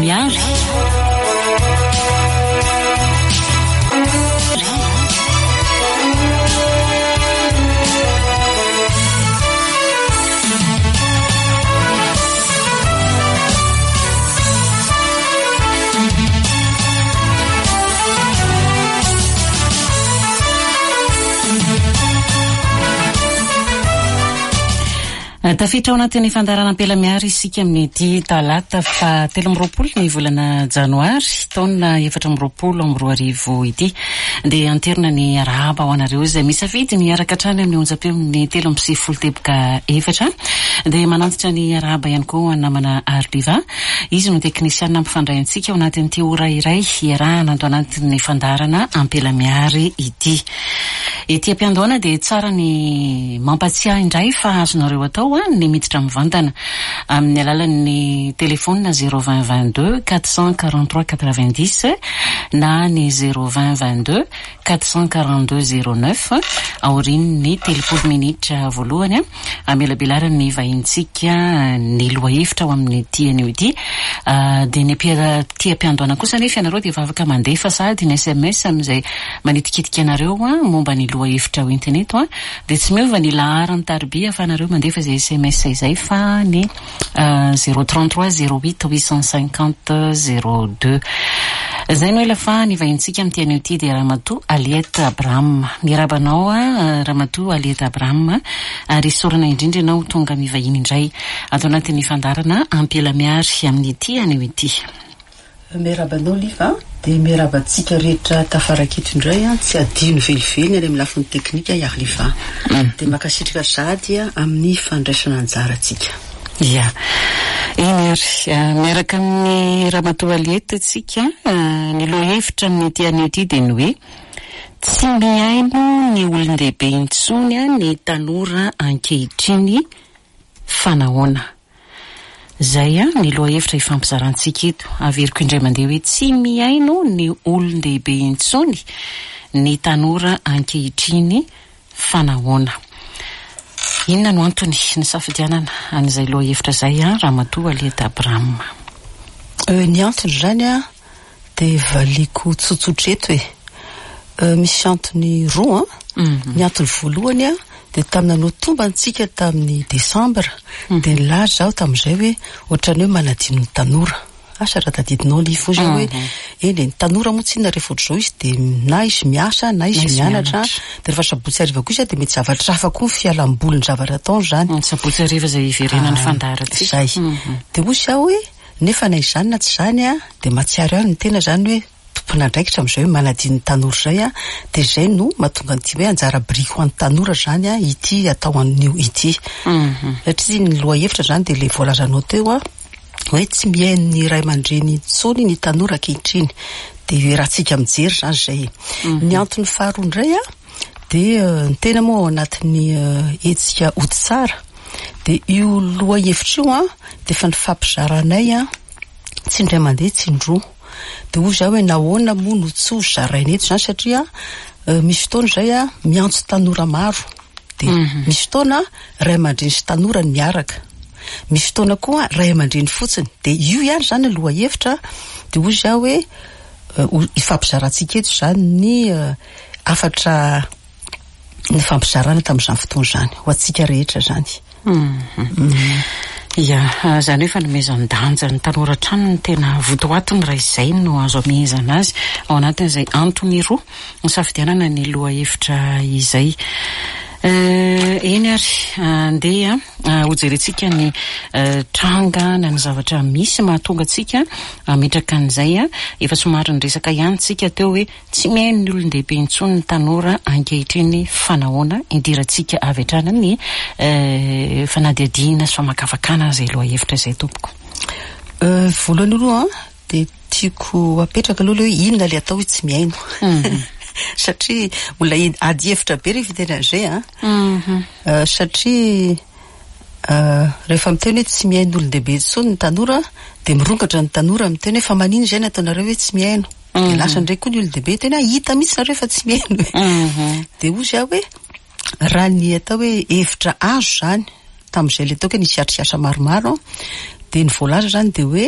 Ampela Miary. Tafiditra ao anatin'ny fandaharana Ampela Miary isika amin'ity talata faha 23 ny volana janoary taona 2024 ity. Dia anterina ny arahaba ho anareo izay misafidy ny hiaraka hatrany amin'ny onjam-peon'ny 93 teboka efatra. Dia manantitra ny arahaba ihany koa ho an'ny namana Arliva. Izy no teknisianina mpifandray antsika ao anatin'ity ora iray iarahana ato anatin'ny fandaharana Ampela Miary ity. Ety am-piandohana dia tsara ny mampatsiahy indray fa azonareo atao ny miditra mivantana amin'ny alalan'ny telefaonina zéro vingt vingt deux quatre cent quarante trois quatre vingt dix na ny zéro vingt vingt deux quatre cent quarante deux zéro neuf aorian'ny 30 minitra voalohany. Amelabelaran'ny vahinintsika ny lohahevitra ao amin'ity anio ity. Dia ny aty am-piandohana kosa anefa ianareo dia efa afaka mandefa sahady ny sms amin'izay manitikitika anareo momba ny lohahevitra hoentina eto. Dia tsy miova ny laharan'ny tariby ahafahanareo mandefa izay sms izay fa ny 033 08 850 02. Izay no ela fa ny vahinintsika amin'ity anio ity dia Ramatoa Aliette Abraham. Miarahaba anao Ramatoa Aliette Abraham ary isaorana indrindra ianao tonga mivahiny indray ato anatin'ny fandaharana Ampela Miary amin'ity anio ity. Miarahaba anao Liva a! Dia miarahaba antsika rehetra tafaraka eto indray an! Tsy adino velively ny any amin'ny lafiny teknika i Arliva. Dia mankasitraka sahady amin'ny fandraisana anjara antsika. Ia. Eny ary, miaraka amin'i Ramatoa Aliette isika, ny lohahevitra amin'ity anio ity dia ny hoe, Tsy mihaino ny olon-dehibe intsony ny tanora ankehitriny fa nahoana? Izay ny lohahevitra ifampizarantsika eto. Averiko indray mandeha hoe tsy mihaino ny olon-dehibe intsony ny tanora ankehitriny fa nahoana? Inona no antony nisafidianana an'izay lohahevitra izay Ramatoa Aliette Abraham? Ny antony izany Dia valiako tsotsotra eto e. Misy antony roa an. Ny antony voalohany an, dia tamin'ny nanao tombantsika tamin'ny desambra, dia nilaza aho tamin'izay hoe ohatran'ny hoe manadino ny tanora. Asa raha tadidinao ilay izy hoe eny e, ny tanora moa tsinona rehefa ohatr'izao izy dia na izy miasa na izy mianatra, dia rehefa sabotsy hariva koa izy dia mety zavatra hafa koa ny fialamboliny zavatra ataony izany. Ny sabotsy hariva izay hiverenan'ny fandaharantsika. Izay. Dia hoy aho hoe Nefa na izany na tsy izany dia mahatsiaro ihany ny tena izany hoe tompon'andraikitra amin'izay hoe manadino ny tanora izay dia izay no mahatonga an'ity hoe anjara biriky ho an'ny tanora izany ity atao anio ity. Satria ny lohahevitra izany dia ilay voalazanao teo hoe tsy mihaino ny ray aman-dreny intsony ny tanora ankehitriny. Dia iarahantsika mijery izany izay. Ny antony faharoa indray dia ny tena moa ao anatin'ny hetsika Ody Tsara dia io lohahevitra io dia efa nifampizaranay an, tsy indray mandeha tsy indroa. Dia hoy izaho hoe nahoana moa no tsy ho zaraina eto izany satria misy fotoana izay an, miantso tanora maro. Dia misy fotoana ray aman-dreny sy tanora no miaraka. Misy fotoana koa ray aman-dreny fotsiny. Dia io ihany izany ny lohahevitra. Dia hoy izaho hoe hifampizarantsika eto izany ny hafatra nifampizarana tamin'izany fotoana izany, ho antsika rehetra izany. Ia, izany hoe fanomezan-danja ny tanora hatrany no tena votoatiny raha izay no azo amehezana azy ao anatin'izay antony roa nisafidianana ny lohahevitra izay. Eny ary, andeha hojerentsika ny tranga na ny zavatra misy mahatonga antsika hametraka an'izay. Efa somary niresaka ihany isika teo hoe Tsy mihaino ny olon-dehibe intsony ny tanora ankehitriny fa nahoana? Idirantsika avy hatrany ny fanadihadiana sy famakafakana izay lohahevitra izay tompoko. Voalohany aloha dia tiako apetraka aloha ilay hoe inona ilay atao hoe tsy mihaino? Satria mbola ady hevitra be rehefa hiteny an'izay an! Satria Rehefa miteny hoe tsy mihaino olon-dehibe intsony ny tanora dia mirongatra ny tanora miteny hoe fa maninona izay ny ataonareo hoe tsy mihaino? Dia lasa indray koa ny olon-dehibe hiteny hoe hita mihitsy nareo fa tsy mihaino e. Dia hoy izaho hoe raha ny atao hoe hevitra azo izany tamin'izay ilay ataoko hoe nisy atrikasa maromaro dia ny voalaza izany dia hoe.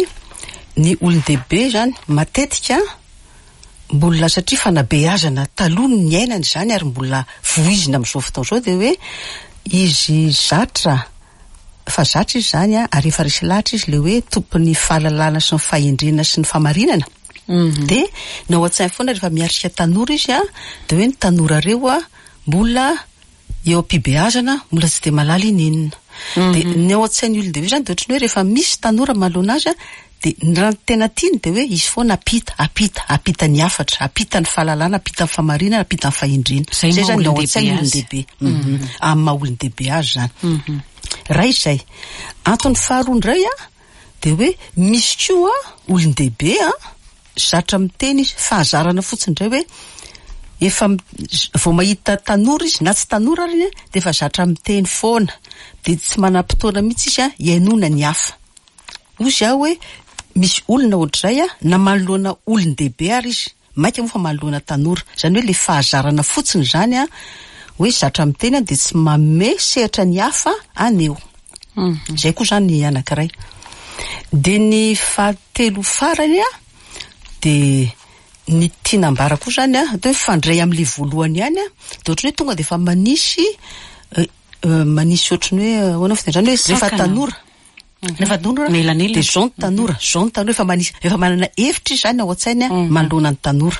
Ny olon-dehibe izany matetika mbola satria fanabeazana taloha no niainana izany ary mbola voizina amin'izao fotoana izao dia hoe izy zatra fa zatra izy izany ary efa resy lahatra izy ilay hoe tompon'ny fahalalana sy ny fahendrena sy ny fahamarinana dia ny ao an-tsainy foana rehefa miatrika tanora izy dia hoe ny tanora reo mbola eo am-pibeazana mbola tsy dia mahalala ininona. Dia ny ao an-tsain'ny olon-dehibe izany dia ohatran'ny hoe rehefa misy tanora manoloana azy dia ny raha ny tena tiany dia hoe izy foana ampita, ampita, ampita ny hafatra, ampita ny fahalalana, ampita ny fahamarinana, ampita ny fahendrena. Izay Izay maha izany ny ao olon-dehibe an-tsain'ny azy. olon-dehibe. Amin'ny maha olon-dehibe azy izany. Iray izay. Antony faharoa indray an, dia hoe misy koa olon-dehibe an, zatra miteny izy, fahazarana fotsiny indray hoe efa vao mahita tanora izy na tsy tanora ary dia efa zatra miteny foana, dia tsy manam-potoana mihitsy izy an hihainoana ny hafa. Hoy izaho hoe misy olona ohatr'izay an, na manoloana olon-dehibe ary izy, Mainka moa fa manoloana tanora. Izany hoe ilay fahazarana fotsiny izany an, hoe zatra miteny an, dia tsy manome sehatra ny hafa haneho. Izay koa izany ny anankiray. Dia ny fahatelo farany an, dia ny tiana ambara koa izany an, atao hoe mifandray amin'ilay voalohany ihany an, dia ohatran'ny hoe tonga dia efa manisy manisy ohatran'ny hoe ahoana fitenenana izany hoe rehefa tanora. Rehefa tanora Mielanelana. dia zao ny tanora, zao ny tanora efa manisy, efa manana hevitra izy zany ao an-tsainy manoloana ny tanora.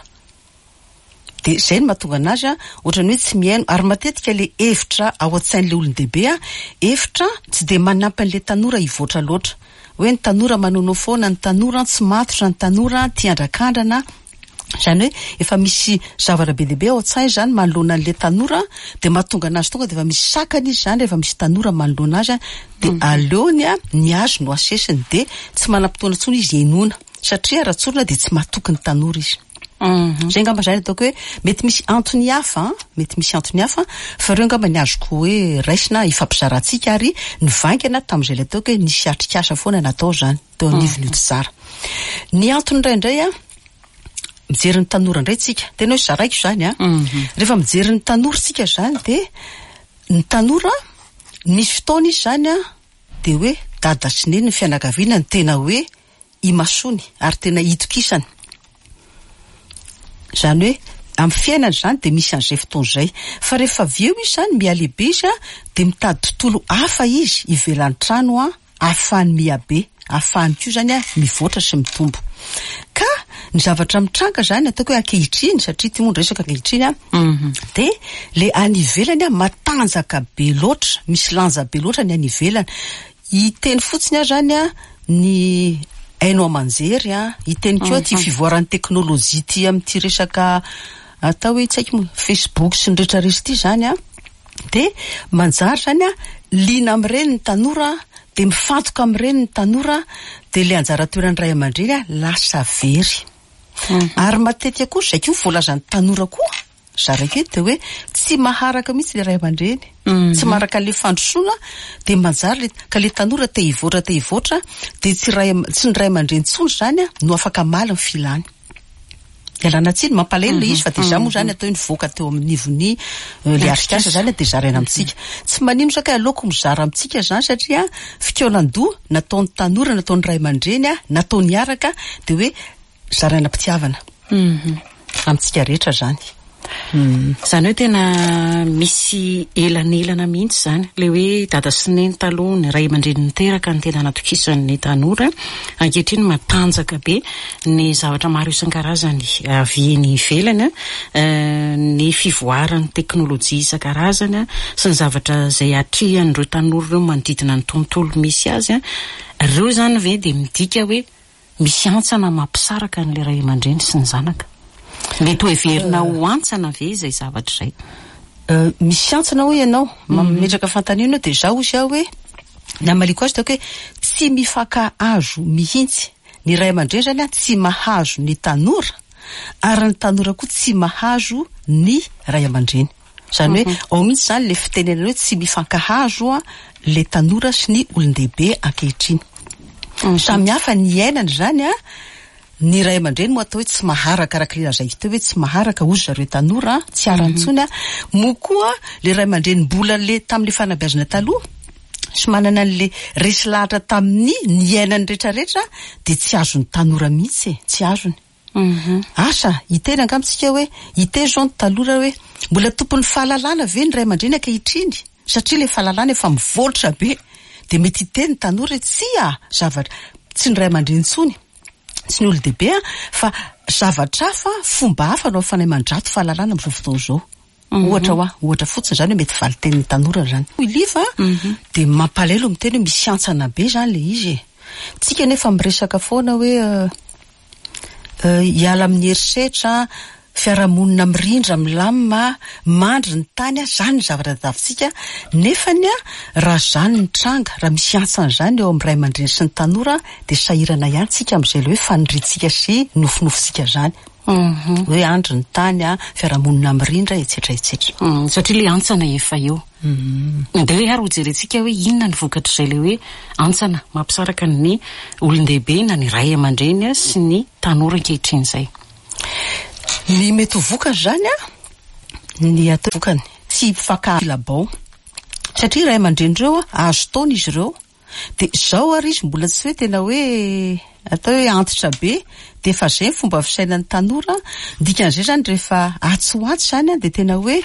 Dia izay no mahatonga anazy ohatran'ny hoe tsy mihaino ary matetika ilay hevitra ao an-tsain'ilay olon-dehibe hevitra tsy dia manampy an'ilay tanora hivoatra loatra. Hoe ny tanora manoanao foana, ny tanora tsy matotra, ny tanora tia andrakandrana. Izany hoe efa misy zavatra be dia be ao an-tsainy izany manoloana an'ilay tanora dia mahatonga anazy tonga dia efa misy sakana izy izany rehefa misy tanora manoloana azy dia aleony ny azy no asesiny dia tsy manam-potoana intsony izy henoina satria raha tsorina dia tsy matoky ny tanora izy. Izay angamba izany ataoko hoe mety misy antony hafa an, mety misy antony hafa fa ireo angamba ny azoko hoe raisina hifampizarantsika ary nivaingana tamin'izay ilay ataoko hoe nisy atrikasa foana natao izany teo anivon'ny Otsara. Ny antony indraindray an, mijery ny tanora indray tsika, tena hoe zaraiko izany an, rehefa mijery ny tanora tsika izany dia ny tanora nisy fotoana izy izany an, dia hoe dada sy neny ny fianakaviana no tena hoe imasoany ary tena itokisany. Izany hoe amin'ny fiainana izany dia misy an'izay fotoana izay. Fa rehefa avy eo izy izany mihalehibe izy an, dia mitady tontolo hafa izy ivelan'ny trano an, ahafahany mihabe, ahafahany koa izany mivoatra sy mitombo. Ka ny zavatra mitranga izany ataoko hoe ankehitriny, satria ity moa ny resaka ankehitriny an, dia le any ivelany an matanjaka be loatra, misy lanja be loatra ny any ivelany. Hiteny fotsiny aho izany an, ny haino aman-jery an, hiteny koa ity fivoaran'ny teknolojia ity amin'ity resaka atao hoe tsy haiko moa, Facebook sy ny rehetra rehetra ity izany an, Dia manjary izany an, liana amin'ireny ny tanora, dia mifantoka amin'ireny ny tanora, dia ilay anjara toeran'ny ray aman-dreny an, lasa very. Ary matetika koa, izay koa voalazan'ny tanora koa, zaraiko eto, dia hoe tsy maharaka mihitsy ilay ray aman-dreny. Tsy maharaka an'ilay fandrosoana, dia manjary ilay, ka ilay tanora te hivoatra te hivoatra, dia tsy ray, tsy ny ray aman-dreny intsony izany an, no afaka hamaly ny filany. Ialana tsiny, mampalahelo ilay izy fa dia izaho moa izany atao hoe nivoaka teo amin'nivon'ny ilay atrikasa izany dia zaraina amintsika. Tsy manino izany kay aleoko mizara amintsika izany satria fikaonan-doha nataon'ny tanora, nataon'ny ray aman-dreny, natao niaraka dia hoe zaraina am-pitiavana amintsika rehetra izany. Izany hoe tena misy elanelana mihitsy izany. Ilay hoe dada sy neny taloha, ny ray aman-dreny niteraka no tena natokisan'ny tanora. Ankehitriny matanjaka be ny zavatra maro isan-karazany avy eny ivelany, ny fivoaran'ny teknolojia isan-karazany sy ny zavatra izay atrehan'ireo tanora ireo manodidina ny tontolo misy azy. Ireo izany ve dia midika hoe Misy hantsana mampisaraka an'ilay ray aman-dreny sy ny zanaka. Mety ho heverina ho hantsana ve izay zavatra izay? Misy hantsana hoy ianao, mametraka fanontaniana eo dia izaho hozy aho hoe, ny hamaliako azy dia hoe tsy mifankahazo mihitsy. Ny ray aman-dreny izany tsy mahazo ny tanora ary ny tanora koa tsy mahazo ny ray aman-dreny. Izany hoe ao mihitsy izany ilay fitenenana hoe tsy mifankahazo ilay tanora sy ny olon-dehibe ankehitriny. Samy hafa ny iainana izany an, ny ray aman-dreny moa atao hoe tsy maharaka araka ilay lazaiko teo hoe tsy maharaka hozy zareo tanora an, tsy arany intsony an, moa koa ilay ray aman-dreny mbola le tamin'ilay fanabeazana taloha. sy manana an'le resy lahatra tamin'ny niainany rehetrarehetra dia tsy azon'ny tanora mihitsy e, tsy azony. Asa, hiteny angamba tsika hoe, hiteny izao ny tanora hoe, mbola tompon'ny fahalalana ve ny ray aman-dreny ankehitriny? Satria ilay fahalalana efa mivoatra be. Dia mety hiteny ny tanora hoe, tsia, zavatra, tsy ny ray aman-dreny intsony, tsy ny olon-dehibe an, fa zavatra hafa, fomba hafa no ahafahanay mandrato fahalalana amin'izao fotoana izao. Ohatra hoa, ohatra fotsiny izany hoe mety valin-tenin'ny tanora izany. Hoy Liva dia mampalahelo miteny hoe misy hantsana be izany ilay izy e. Tsika nefa miresaka foana hoe hiala amin'ny herisetra, fiarahamonina mirindra, milamina, mandry ny tany, izany ny zavatra tadiavintsika. Nefany raha izany ny tranga, raha misy hantsana izany eo amin'ny ray aman-dreny sy ny tanora dia sahirana ihany tsika amin'izay ilay hoe faniriantsika sy nofinofintsika izany. Hoe andry ny tany, fiarahamonina mirindra, etsetra etsetra. Satria ilay hantsana efa eo. Dia hoe ary hojerentsika hoe inona ny vokatr'izay ilay hoe hantsana mampisaraka ny olon-dehibe na ny ray aman-dreny sy ny tanora ankehitriny izay. Ny mety ho vokany izany an, ny atao vokany, tsy hifankahalabao. Satria ray aman-dreny ireo an, azo taona izy ireo. Dia izao ary izy mbola tsy hoe tena hoe atao hoe antitra be dia efa izay ny fomba fisainan'ny tanora, ny dikan'izay izany rehefa atsy ho atsy izany dia tena hoe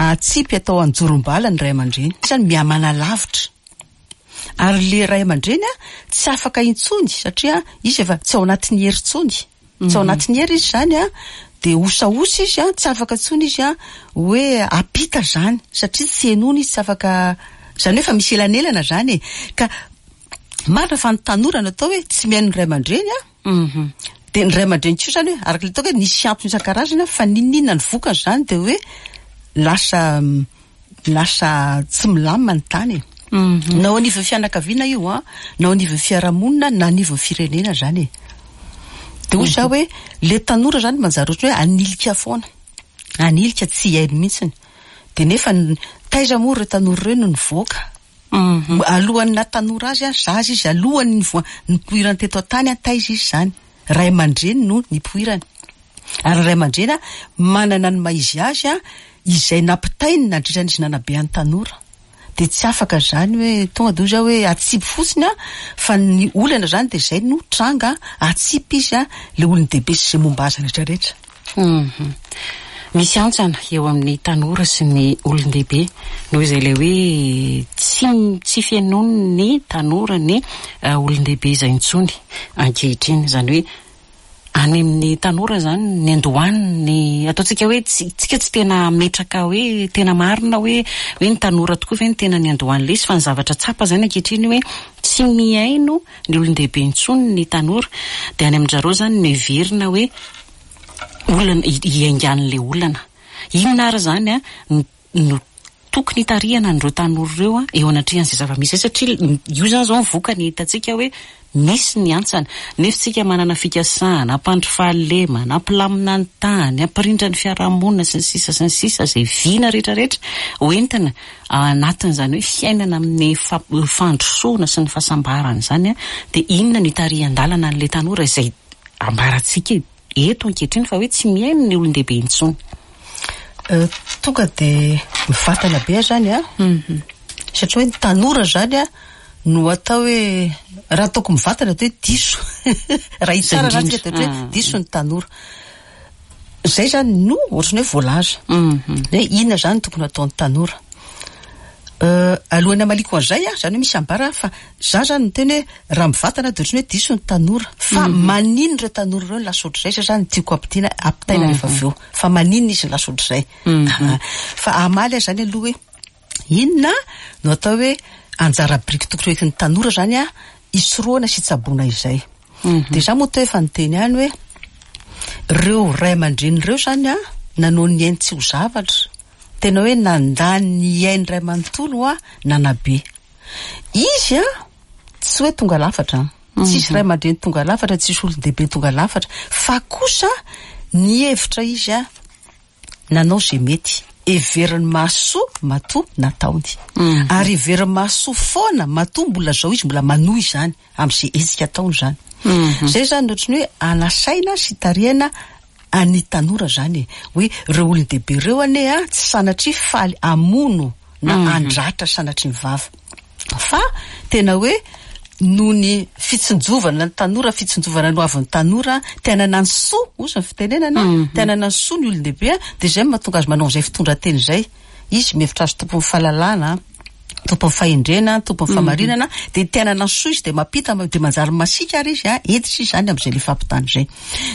atsipy atao anjorom-bala ny ray aman-dreny, izany mihamanalavitra ary ilay ray aman-dreny tsy afaka intsony satria izy efa tsy ao anatin'ny hery intsony. Tsy ao anatin'ny hery izy izany an, dia osaosa izy an, tsy afaka intsony izy an, hoe hampita izany, satria tsy henoina izy, tsy afaka, izany hoe efa misy elanelana izany e. Ka marina fa ny tanora no atao hoe tsy mihaino ny ray aman-dreny an, dia ny ray aman-dreny koa izany hoe, araka ilay ataoko hoe nisy antony isan-karazany an, fa n'inon'inona ny vokany izany dia hoe lasa lasa tsy milamina ny tany e. Na ao anivon'ny fianakaviana io an, na ao anivon'ny fiarahamonina, na anivon'ny firenena zany e. De hoy za hoe le tanora zany manjary ohatran'ny hoe anilika foana, anilika tsy hihaino mihitsiny. De nefa taiza moa ireo tanora ireo no nivoaka? Alohan'ny naha tanora azy an, zaza izy, alohan'ny nivoa- nipoirany teto an-tany an, taiza izy zany? Ray aman-dreny no nipoirany. Ary ny ray aman-dreny manana ny maha izy azy izay nampitainy nandritra ny izy nanabe an'ny tanora. Dia tsy afaka izany hoe tonga dia hoy za hoe atsipy fotsiny fa ny olana izany dia izay no tranga, atsipy izy ilay olon-dehibe sy izay momba azy rehetra rehetra. Misy hantsana eo amin'ny tanora sy ny olon-dehibe noho izay ilay hoe tsy tsy fenoin'ny tanora ny olon-dehibe izay intsony ankehitriny. Izany hoe any amin'ny tanora izany ny andohan'ny ataontsika hoe tsy tsika tsy tena hametraka hoe tena marina hoe hoe ny tanora tokoa ve no tena niandohan'ilay izy fa ny zavatra tsapa izany ankehitriny hoe tsy mihaino ny olon-dehibe intsony ny tanora dia any amin-dry zareo izany no heverina hoe olana hiaingan'ilay olana. Inona ary izany no no tokony hitarihana an'ireo tanora ireo eo anatrehan'izay zava-misy izay satria io izany izao ny vokany hitantsika hoe misy ny hantsana nefa isika manana fikasana hampandry fahalemana, hampilamina ny tany, hampirindra ny fiarahamonina sy ny sisa sy ny sisa izay vina rehetra rehetra ho entina anatin'izany hoe fiainana amin'ny fandrosoana sy ny fahasambarana izany dia inona no hitarihan-dalana an'ilay tanora izay ambarantsika eto ankehitriny fa hoe tsy mihaino ny olon-dehibe intsony. Tonga dia mivantana be aho izany an, satria hoe ny tanora izany an no atao hoe, raha ataoko mivantana dia hoe diso, raha hitsara izany tsika dia ohatra hoe diso ny tanora. Izay izany no ohatran'ny hoe voalaza, hoe inona izany no tokony hataon'ny tanora. Alohan'ny hamaliako an'izay an, izany hoe misy ambara fa za izany miteny hoe raha mivantana dia ohatran'ny hoe diso ny tanora. Fa maninona ireo tanora ireo no lasa ohatr'izay? Izay izany no tiako ampitiana, ampitaina rehefa avy eo. Fa maninona izy no lasa ohatr'izay? Fa hamaly aho izany aloha hoe inona no atao hoe anjara biriky tokony ho entin'ny tanora izany an, hisorohana sy hitsaboana izay. Dia izaho moa toa efa niteny ihany hoe ireo ray aman-dreny ireo izany an, nanao ny ainy tsy ho zavatra. Tena hoe nandany ny ainy iray manontolo hoa nanabe. Izy an, tsy hoe tonga lafatra an. Tsisy ray aman-dreny tonga lafatra, tsisy olon-dehibe tonga lafatra. Fa kosa nihevitra izy an, nanao izay mety. Heverin'ny mahasoa matoa nataony. Ary heverin'ny mahasoa foana matoa mbola izao izy mbola manohy izany amin'izay hetsika ataony izany. Izay izany ohatran'ny hoe anasaina sy tarihana Any tanora zany e! Hoe reo olon-dehibe reo anie a tsy sanatria faly hamono na handratra sanatria ny vava. Fa tena hoe noho ny fitsinjovana ny tanora, fitsinjovana ny hoavin'ny tanora, te hanana ny soa, hozy ny fitenenana, te hanana ny soa ny olon-dehibe, dia izay no mahatonga azy manao an'izay fitondran-tena izay. Izy mihevitra azy tompon'ny fahalalana, tompon'ny fahendrena, tompon'ny fahamarinana, dia te hanana ny soa izy dia mampita, dia manjary masiaka ary izy, hentitra izy izany amin'izay ilay fampitana izay.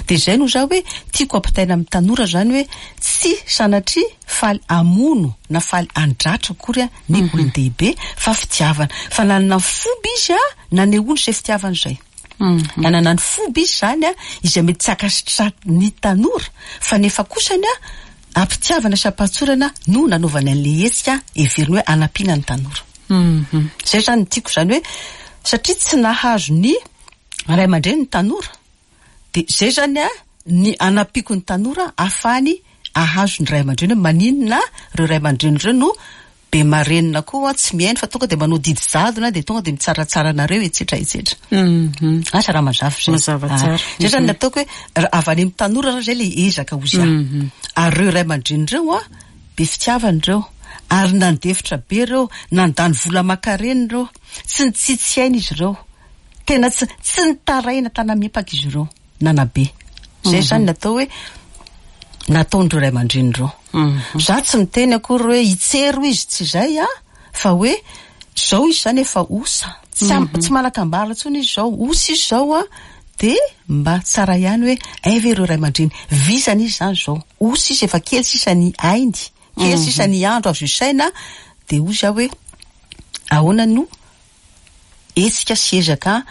Dia izay no izaho hoe tiako hampitaina amin'ny tanora izany hoe tsy sanatria faly hamono na faly handratra akory ny olon-dehibe fa fitiavana. Fa nanana ny fomba izy nanehoany izay fitiavana izay. Nanana ny fomba izy izany izay mety tsy ankasitrahan'ny tanora fa nefa kosany am-pitiavana sy am-pahatsorana no nanaovany an'ilay hetsika heveriny hoe hanampiana ny tanora. Izay izany no tiako izany hoe satria tsy nahazo ny ray aman-dreny ny tanora dia izay izany ny hanampiako ny tanora ahafahany ahazo ny ray aman-dreny hoe maninona ireo ray aman-dreny ireo no be marenina koa tsy mihaino fa tonga dia manao didy jadona dia tonga dia mitsaratsara anareo etsetra etsetra. Asa raha mazava izay. Mazava tsara. Izay izany ny ataoko hoe avy any amin'ny tanora zany izay ilay ezaka hozy ahy. Ary ireo ray aman-dreny ireo an, be fitiavana ireo, ary nandefitra be ireo, nandany vola aman-karena ireo, tsy nitsitsy aina izy ireo, tena tsy tsy nitaraina tana-miepaka izy ireo. Nanabe. Zay zany ny atao hoe nataon'ireo ray aman-dreny ireo. Za tsy miteny akory hoe hitsero izy, tsy izay an, fa hoe zao izy zany efa osa, tsy am- tsy manan-kambara intsony izy zao, osa izy zao an, de mba tsara ihany hoe hay ve ireo ray aman-dreny, vizana izy zany zao, osa izy efa kely sisa ny ainy, kely sisa ny andro azo isaina, de hoy za hoe ahoana no hetsika sy ezaka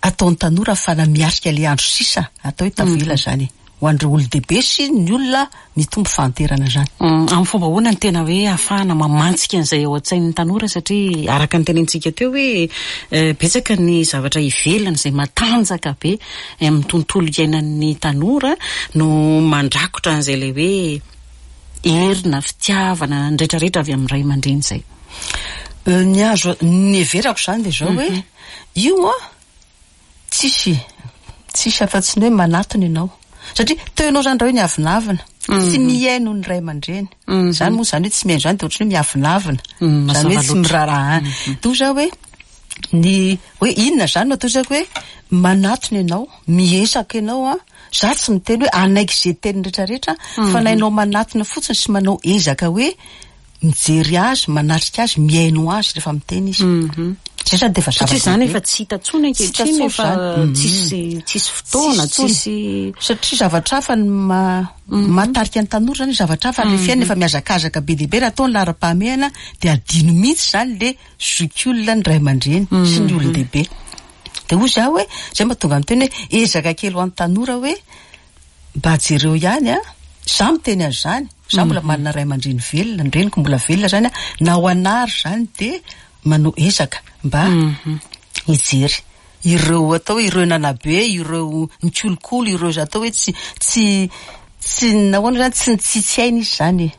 ataon'ny tanora ahafahana miatrika ilay andro sisa atao hoe tavela izany e, ho an'ireo olon-dehibe sy ny olona mitombo fahanterana izany. Amin'ny fomba ahoana no tena hoe ahafahana mamantsika an'izay ao an-tsain'ny tanora satria araka ny tenenintsika teo hoe betsaka ny zavatra ivelany izay matanjaka be amin'ny tontolo iainan'ny tanora no mandrakotra an'izay ilay hoe hery na fitiavana ny rehetrarehetra avy amin'ny ray aman-dreny izay. Ny azo, ny heverako izany dia izao hoe, io an, tsisy, tsisy afa-tsy ny hoe manatona ianao. Satria teo ianao izany raha hoe niavonavona, tsy mihaino ny ray aman-dreny. Izany moa izany hoe tsy mihaino izany dia ohatran'ny hoe miavonavona. Izany hoe tsy miraharaha. Toa izao hoe, ny hoe inona izany no atao izako hoe manatona ianao, miezaka ianao an, za tsy miteny hoe hanaiky izay teniny rehetra rehetra fa na ianao manatona fotsiny sy manao ezaka hoe mijery azy, manatrika azy, mihaino azy rehefa miteny izy. Zay zany dia efa Satria zany efa tsy hita intsony ankehitriny efa tsisy tsisy fotoana, tsisy Satria zavatra hafa ny ma- mahatarika ny tanora zany, zavatra hafa le fiainana efa mihazakazaka be dia be, raha atao ny laharam-pahamehana dia adino mihitsy zany le zokiolona, ny ray aman-dreny sy ny olon-dehibe. Dia hoy za hoe, zay mahatonga ny teny hoe ezaka kely ho an'ny tanora hoe mba jereo ihany an, za miteny an'izany, za mbola manana ray aman-dreny velona, ny reniko mbola velona zany an, na ho anah ary zany dia manao ezaka mba hijery ireo atao hoe ireo nanabe, ireo nikolokolo, ireo atao hoe tsy tsy tsy nahoana zany tsy nitsitsy aina izy zany e.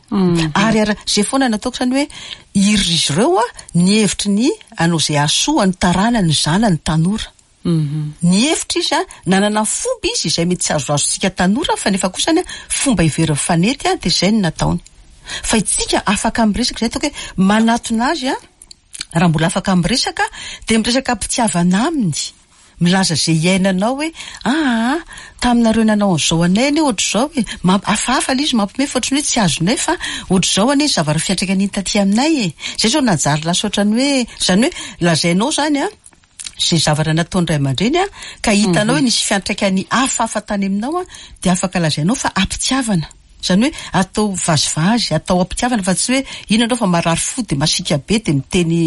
Ary ary zay foana nataoko zany hoe iry izy ireo an, nihevitry ny hanao izay hahasoa ny taranany, ny zanany, ny tanora. Nihevitra izy an, nanana fomba izy izay mety tsy azoazontsika tanora fa nefa kosany an, fomba heveriny fa nety an, dia izay no nataony. Fa itsika afaka miresaka, izay ataoko hoe manatona azy an, raha mbola afaka miresaka dia miresaka am-pitiavana aminy, milaza izay iainanao hoe aa taminareo nanao an'izao anay anie ohatr'izao e, mamp- hafahafa ilay izy mampiomehy fa ohatran'ny hoe tsy azonay fa ohatr'izao anie ny zavatra fiantraikan'iny taty aminay e, izay izao nanjary lasa ohatran'ny hoe, izany hoe lazainao izany an, izay zavatra nataon'ny ray aman-dreny an, ka hitanao hoe nisy fiantraikany hafahafa tany aminao an, dia afaka lazainao fa am-pitiavana. Izany hoe atao vazivazy, atao am-pitiavana fa tsy hoe inona ianao fa marary fo dia masiaka be dia miteny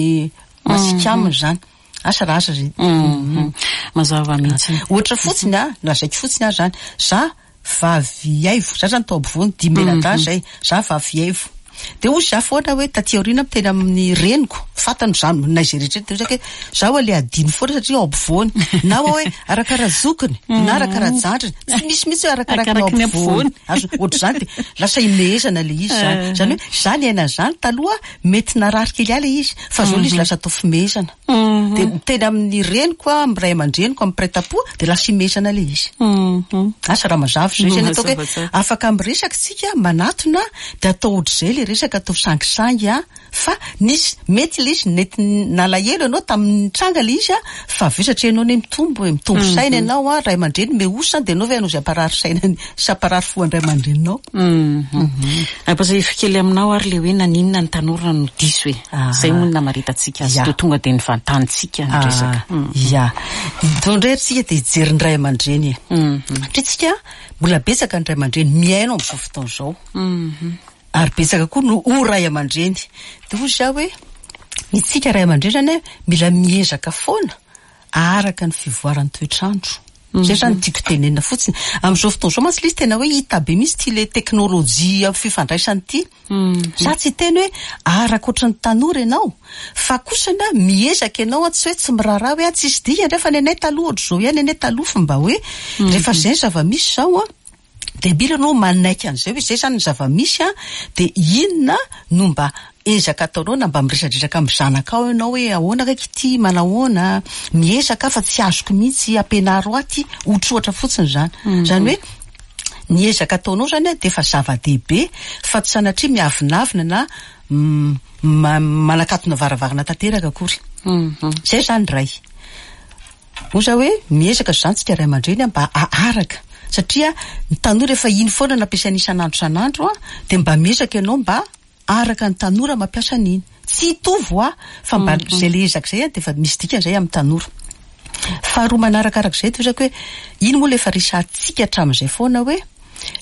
masiaka aminy izany. Asa raha asa izay. Mazava mihitsy. Ohatra fotsiny an, lazaiko fotsiny aho izany, za vavy aivo, za zany tao ampovoany, dimy mianadahy zay, za vavy aivo. Dia hoy za foana hoe taty aoriana miteny amin'ny reniko, fantany za na izay rehetra dia hoe za ho'a le adino foana satria ao ampovoany, na hoe arakara zokiny, na arakara zandriny, tsy misy mihitsy hoe arakaraka ny ao ampovoany. Azo ohatr'izany dia lasa imehezana le izy zany. Zany hoe za niaina an'izany taloha mety narary kely ahy le izy fa zao le izy lasa atao fimehezana. Dia miteny amin'ny reniko aho, amin'ny ray aman-dreniko, amin'ny mpiray tampo dia lasa imehezana ilay izy. Asa raha mazava izay. Izay no ataoko hoe afaka miresaka isika, manatona, dia atao ohatr'izay ilay resaka. resaka atao sangisangy an, fa nisy, mety ilay izy nety nalahelo ianao tamin'ny nitranga ilay izy an, fa avy eo satria ianao anie mitombo e, mitombo saina ianao an, ray aman-dreny mihosa dia ianao ve hanao izay hamparary saina sy hamparary fo an-dray aman-dreninao? Ampahatsiahiviko kely aminao ary ilay hoe naninona ny tanora no diso e. Izay moa no namaritantsika azy teo, tonga dia nivantanintsika ny resaka. Ya. Izao indray ry tsika dia hijery ny ray aman-dreny e. Satria tsika mbola betsaka ny ray aman-dreny mihaino amin'izao fotoana izao. Ary betsaka koa no ho ray aman-dreny. Dia hoy izaho hoe, itsika ray aman-dreny izany mila miezaka foana araka ny fivoaran'ny toetr'andro. Izay izany no tiako tenenina fotsiny. Amin'izao fotoana izao mantsy ilay izy tena hoe hita be mihitsy ity ilay teknolojia amin'ny fifandraisana ity. Za tsy hiteny hoe araka ohatran'ny tanora ianao, fa kosa na miezaka ianao tsy hoe tsy miraharaha hoe tsisy dikany re fa ny anay taloha ohatr'izao ihany, ny anay taloha fa mba hoe rehefa izay ny zava-misy izao an, Dia mila ianao manaiky an'izay hoe izay izany ny zava-misy an, dia inona no mba ezaka ataonao na mba miresadresaka amin'ny zanakao ianao hoe ahoana kaiky ity, manahoana, miezaka aho fa tsy azoko mihitsy, ampianaro ahy ity, ohatrohatra fotsiny izany. Izany hoe ny ezaka ataonao izany an dia efa zava-dehibe fa tsy sanatria miavonavona na manakatona varavarana tanteraka akory. Izay izany iray. Hoy za hoe miezaka izany tsika ray aman-dreny mba haharaka satria ny tanora efa iny foana no ampiasaina isan'andro isan'andro dia mba miezaka ianao mba araka ny tanora mampiasa an'iny. Tsy hitovy hoa fa mba izay le ezaka izay dia efa misy dikany izay amin'ny tanora. Faharoa manarakaraka izay tohizako hoe iny moa le efa resahantsika hatramin'izay foana hoe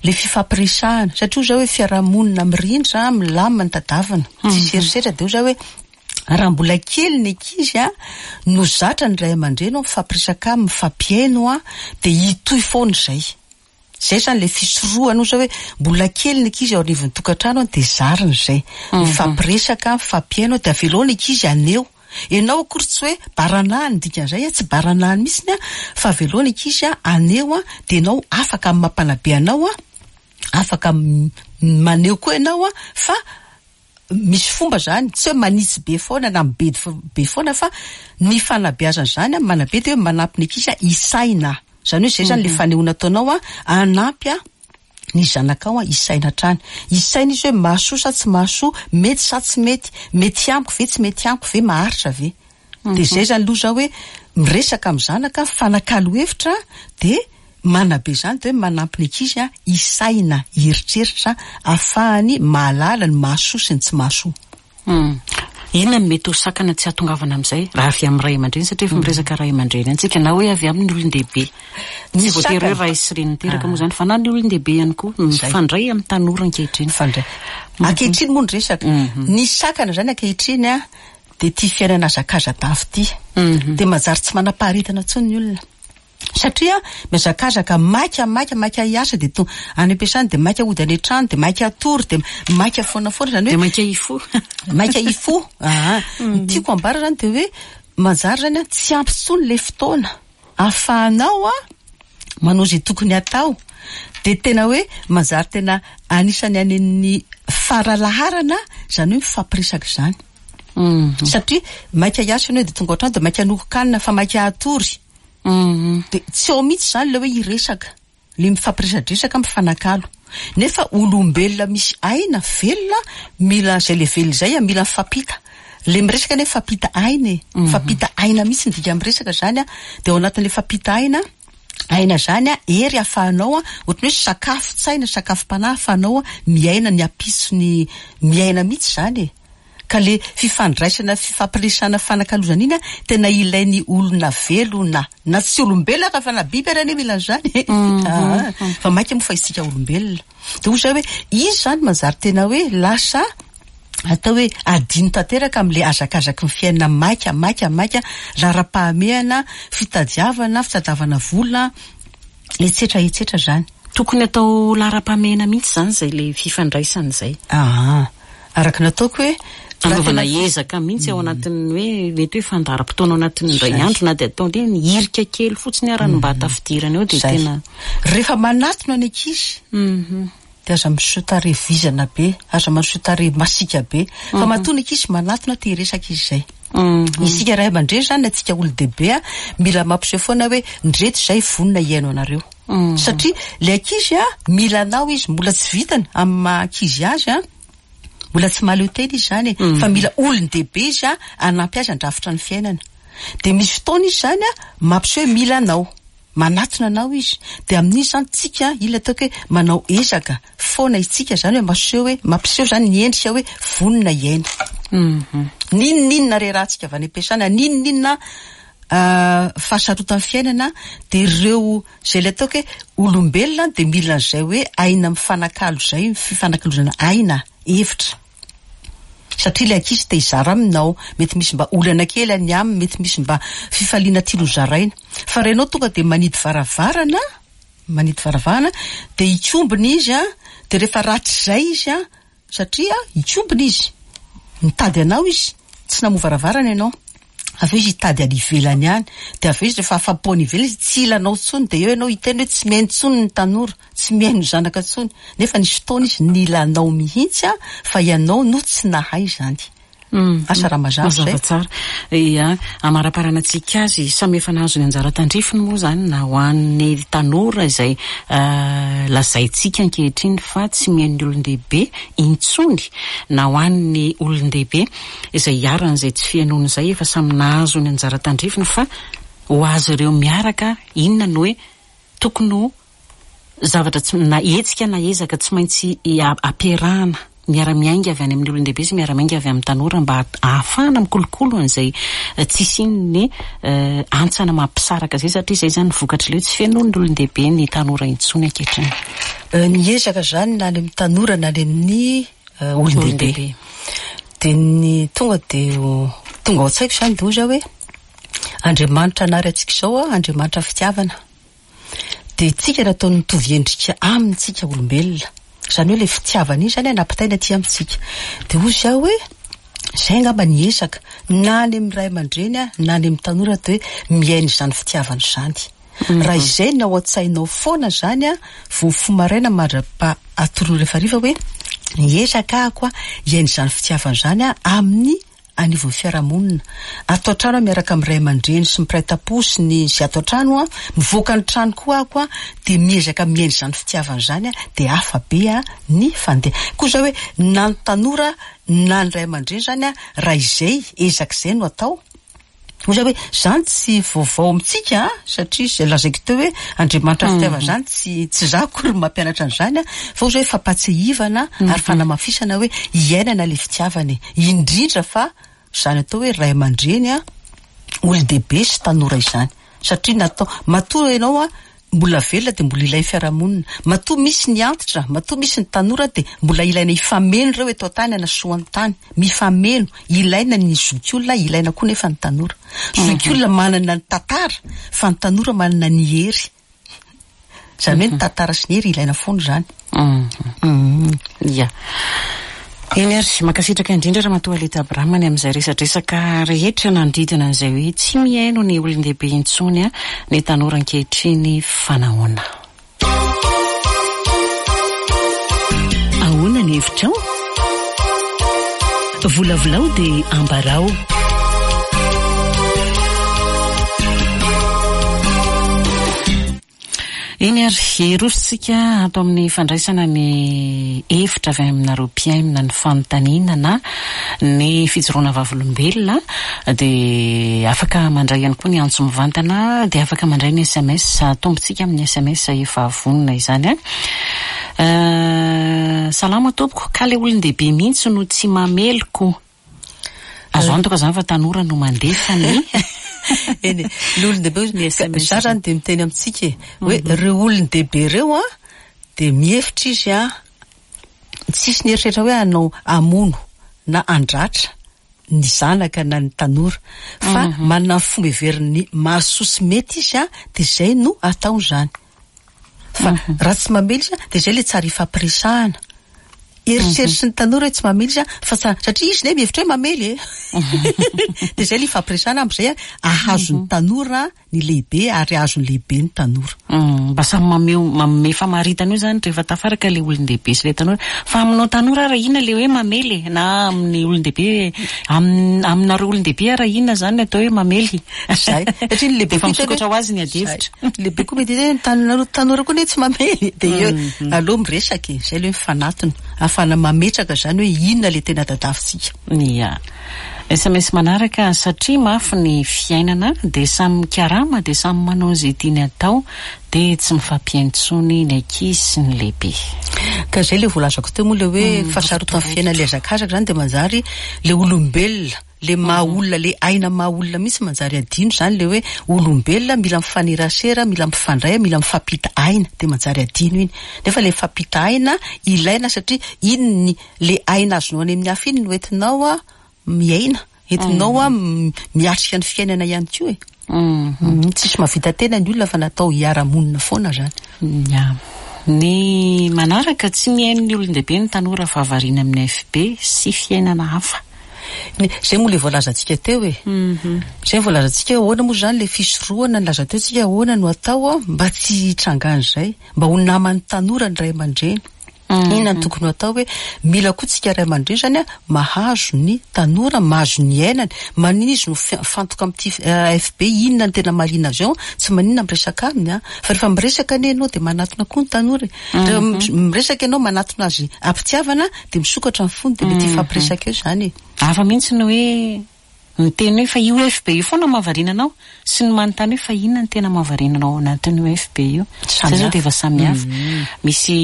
le fifampiresahana satria hoy za hoe fiarahamonina mirindra milamina ny tadavina tsisy herisetra dia hoy za hoe Raha mbola kely ny ankizy no zatra ny ray aman-dreny mifampiresaka aminy, mifampihaino dia hitohy foana izay. Izay izany ilay fisorohana ohatra hoe mbola kely ny ankizy ao anivon'ny tokantrano dia zarina izay. Mifampiresaka, mifampihaino dia avelao ny ankizy haneho. Ianao akory tsy hoe baranahiny ny dikan'izay, tsy baranahiny mihitsy fa avelao ny ankizy haneho dia ianao afaka amin'ny maha mpanabe anao, afaka maneho koa ianao fa Misy fomba zany, tsy hoe manitsy be foana na mibedy be foana fa ny fanabeazana izany an, manabe dia hoe manampy ny ankizy hisaina. Izany hoe izay zany le fanehoana ataonao an, hanampy ny zanakao hisaina hatrany. Hisaina izy hoe mahasoa sa tsy mahasoa, mety sa tsy mety, mety amiko ve, tsy mety amiko ve, maharitra ve. Dia izay zany aloha zao hoe miresaka amin'ny zanaka, mifanakalo hevitra dia manabe izany dia hoe manampy ny ankizy hisaina, hieritreritra ahafahany mahalala ny mahasoa sy ny tsy mahasoa. Inona no mety ho sakana tsy hahatongavana amin'izay raha avy amin'ny ray aman-dreny satria efa miresaka ray aman-dreny ihany tsika na hoe avy amin'ny olon-dehibe. Tsy voatery hoe ray sy reny niteraka moa izany fa na ny olon-dehibe ihany koa mifandray amin'ny tanora ankehitriny. Mifandray. Ankehitriny moa ny resaka. Ny sakana izany ankehitriny Dia ity fiainana hazakaza-dava ity. Dia manjary tsy manam-paharetana intsony ny olona. Satria mihazakazaka maika maika maika hiasa dia tonga any am-piasana dia maika hody any an-trano dia maika hatory dia maika foana foana izany hoe. Dia maika hifoha. Maika hifoha. Aa. Ny tiako ambara izany dia hoe manjary izany an tsy ampy intsony ilay fotoana ahafahanao an manao izay tokony hatao. Dia tena hoe manjary tena anisan'ny any amin'ny faralaharana izany hoe mifampiresaka izany. Satria maika hiasa ianao dia tonga ao an-trano dia maika hanoron-kanina fa maika hatory. Dia tsy ao mihitsy izany ilay hoe hiresaka, ilay mifampiresadresaka, mifanakalo. Nefa olombelona misy aina, velona, mila izay ilay velona izay, mila mifampita. Ilay miresaka anie mifampita aina e. Mifampita aina mihitsy ny dikan'ny miresaka izany an. Dia ao anatin'ilay fampita aina, aina izany an, hery ahafahanao an, ohatran'ny hoe sakafon-tsaina, sakafom-panahy ahafahanao miaina ny hampiso ny, miaina mihitsy izany e. Ka le fifandraisana fifampiresahana fifanakalozana iny an tena ilain'ny olona velona na tsy olombelona ara fa na biby ara anie mila an'izany e! Aa fa maika moa fa isika olombelona. De hoy za hoe izy zany manjary tena hoe lasa atao hoe adino tanteraka amle hazakazaky ny fiainana maika maika maika, laharam-pahamehana, fitadiavana, fitadiavana vola, etsetra etsetra zany. Tokony atao laharam-pahamehana mihitsy zany izay le fifandraisana izay. Aa araka ny ataoko hoe Anaovana ezaka mihitsy ao anatin'ny hoe mety hoe fandaharam-potoana ao anatin'ny indray andro na dia atao hoe ny hirika kely fotsiny ara no mba hatafidirana eo dia tena. Rehefa manatona ny ankizy dia aza miseho tarehy vizana be, aza miseho tarehy masiaka be fa matoa ny ankizy manatona te hiresaka izy izay. Isika ray aman-dreny izany na isika olon-dehibe mila mampiseho foana hoe ndreto izahay vonona hihaino anareo. Satria ilay ankizy mila anao izy, mbola tsy vitany amin'ny maha ankizy azy. Mbola tsy mahaleo tena izy izany e, fa mila olon-dehibe izy a, hanampy azy handrafitra ny fiainana. Dia misy fotoana izy izany a, mampiseho hoe mila anao. Manatona anao izy. Dia amin'iny izany tsika, ila ataoko hoe manao ezaka foana isika izany hoe maseho hoe, mampiseho izany ny endrika hoe vonona hiaina. N'inon'inona rerahantsika avy any am-piasana, n'inon'inona fahasarotan'ny fiainana, dia ireo izay ilay ataoko hoe olombelona dia mila an'izay hoe aina mifanakalo izay, fifanakalozana aina, hevitra. Satria ilay ankizy te hizara aminao, mety misy mba olana kely any aminy, mety misy mba fifaliana tiany ho zaraina. Fa raha ianao tonga dia manidy varavarana, manidy varavarana, dia hikombona izy an, dia rehefa ratr'izay izy an, satria hikombona izy, mitady anao izy, tsy namoha varavarana ianao. Avy eo izy hitady any ivelany any, dia avy eo izy rehefa afa-po any ivelany izy tsy hila anao intsony, dia eo ianao hiteny hoe tsy mihaino intsony ny tanora, tsy mihaino ny zanaka intsony, nefa nisy fotoana izy nila anao mihitsy an, fa ianao no tsy nahay izany. Asa raha mazava izay. Mazava tsara. Ia, amaraparanantsika azy, samy efa nahazo ny anjara tandrifiny moa izany na ho an'ny tanora izay lazaintsika ankehitriny fa tsy mihaino ny olon-dehibe intsony na ho an'ny olon-dehibe izay iharan'izay tsy fihainoana izay efa samy nahazo ny anjara tandrifiny fa ho azy ireo miaraka inona no hoe tokony ho zavatra tsy na hetsika na ezaka tsy maintsy ampiarahana miara-miainga avy any amin'ny olon-dehibe sy miara-miainga avy amin'ny tanora mba ahafahana mikolokolo an'izay tsy hisian'ny hantsana mampisaraka izay satria izay izany ny vokatr'ilay hoe tsy fenoin'ny olon-dehibe ny tanora intsony ankehitriny. Ny ezaka izany na any amin'ny tanora na any amin'ny olon-dehibe. Dia ny tonga dia tonga ao an-tsaiko izany dia hoy zaho hoe Andriamanitra nary antsika izao an, Andriamanitra fitiavana. Dia tsika nataony mitovy endrika aminy tsika olombelona. Izany hoe ilay fitiavana iny izany nampitaina aty amintsika. Dia hoy zaho hoe izay angamba ny ezaka na any amin'ny ray aman-dreny na any amin'ny tanora dia hoe miaina izany fitiavana izany. Raha izay no ao an-tsainao foana izany an, vao mifoha maraina mandra-pa atoronao rehefa hariva hoe hiezaka aho koa hiaina izany fitiavana izany aho amin'ny anivon'ny fiarahamonina. Ato an-trano aho miaraka amin'ny ray aman-dreny sy ny mpiray tampo sy ny izay ato an-trano an, mivoaka ny trano koa aho koa dia miezaka miaina izany fitiavana izany aho dia hafa be ny fandeha. Koa izao hoe na ny tanora na ny ray aman-dreny izany an, raha izay ezaka izay no atao, Hoy za hoe, zany tsy vaovao amintsika an, satria izay lazaiko teo hoe Andriamanitra fitiavana zany tsy tsy za akory no mampianatra an'izany an, fa hoy za hoe fampahatsiahivana ary fanamafisana hoe iainana ilay fitiavana e, indrindra fa izany atao hoe ray aman-dreny an, olon-dehibe sy tanora izany, satria natao, matoa ianao an Mbola velona dia mbola ilain'ny fiarahamonina. Matoa misy ny antitra, matoa misy ny tanora dia mbola ilaina hifameno ireo eto an-tany hanasoa ny tany. Mifameno. Ilaina ny zokiolona, ilaina koa nefa ny tanora. Zokiolona manana ny tantara fa ny tanora manana ny hery. Izany hoe ny tantara sy ny hery ilaina foana izany. Ia. Eny ary, mankasitraka indrindra Ramatoa Alita Abraham ny amin'izay resadresaka rehetra nanodidina an'izay hoe tsy mihaino ny olon-dehibe intsony ny tanora ankehitriny fa nahoana? Ahoana ny hevitrao? Volavolao dia ambarao. Eny ary, hirosontsika ato amin'ny fandraisana ny hevitra avy aminareo mpihaino na ny fanontaniana na ny fijoroana vavolombelona dia afaka mandray ihany koa ny antso mivantana dia afaka mandray ny sms atombontsika amin'ny sms efa vonona izany an. Salama tompoko, ka le olon-dehibe mihitsy no tsy mamely ko. Azo antoka izany fa tanora no mandefa ny Eny e, ny olon-dehibe hozy, ny SMS. Za zany dia miteny amintsika e, hoe ireo olon-dehibe ireo an, dia mihevitra izy an, tsisy ny eritreritra hoe hanao hamono na handratra ny zanaka na ny tanora, fa manana ny fomba heveriny mahasoa sy mety izy an, dia izay no ataony izany. Fa raha tsy mamely izy dia izay ilay tsara ifampiresahana. Eritreritry ny tanora hoe tsy mamely izy fa tsara, satria izy ne mihevitra hoe mamely e. Dia izay ilay ifampiresahana amin'izay ahazo ny tanora ny lehibe ary ahazo ny lehibe ny tanora. Mba samy mameho manome famaritana io izany rehefa tafaraka ilay olon-dehibe sy ilay tanora. Fa aminao tanora ary inona ilay hoe mamely e? Na amin'ny olon-dehibe, aminareo olon-dehibe ary inona izany ny atao hoe mamely? Izay. Satria ny lehibe Efa misokatra ho azy ny adihevitra. Ny lehibe koa mety hoe ny tanora tanora koa anie tsy mamely. Dia eo aleo miresaka e. Izay ilay hoe mifanatona. Ahafahana mametraka izany hoe inona ilay tena tadiavintsika. Ia. Sms manaraka, satria mafy ny fiainana dia samy mikarama dia samy manao izay tiany atao dia tsy mifampihaino intsony ny ankizy sy ny lehibe. Ka izay ilay voalazako teo moa ilay hoe fahasarotan'ny fiainana ilay hazakazaka izany dia manjary ilay olombelona, ilay maha olona, ilay aina maha olona mihitsy manjary adino izany ilay hoe olombelona mila mifanerasera, mila mifandray, mila mifampita aina dia manjary adino iny. Nefa ilay mifampita aina ilaina satria iny ny Le aina azonao any amin'ny hafa iny no entinao miaina, entinao miatrika ny fiainana ihany koa e. Tsisy mahavita tena ny olona fa natao hiara-monina foana zany. Ya. Ny manaraka, tsy mihaino ny olon-dehibe ny tanora fa variana amin'ny FB sy fiainana hafa. Zay moa le voalazantsika teo e. Zay voalazantsika hoe ahoana moa zany le fisorohana nilaza teo tsika ahoana no atao mba tsy hitrangan'izay, mba ho naman'ny tanora ny ray aman-dreny. Inona no tokony ho atao hoe mila koa tsika ray aman-dreny zany mahazo ny tanora, mahazo ny iainany, maninona izy no mifantoka amin'ity AFB, inona no tena mahaliana azy ao, tsy maninona miresaka aminy an, fa rehefa miresaka anie ianao dia manatona koa ny tanora e, rehefa miresaka ianao manatona azy am-pitiavana dia misokatra ny fony dia mety hifampiresaka eo izany e. Hafa mihitsy ny hoe Miteny hoe fa io FB io foana no mahavariana anao? Sy ny manontany hoe fa inona no tena mahavariana anao ao anatin'io FB io? Zay zao dia efa samy hafa. Misy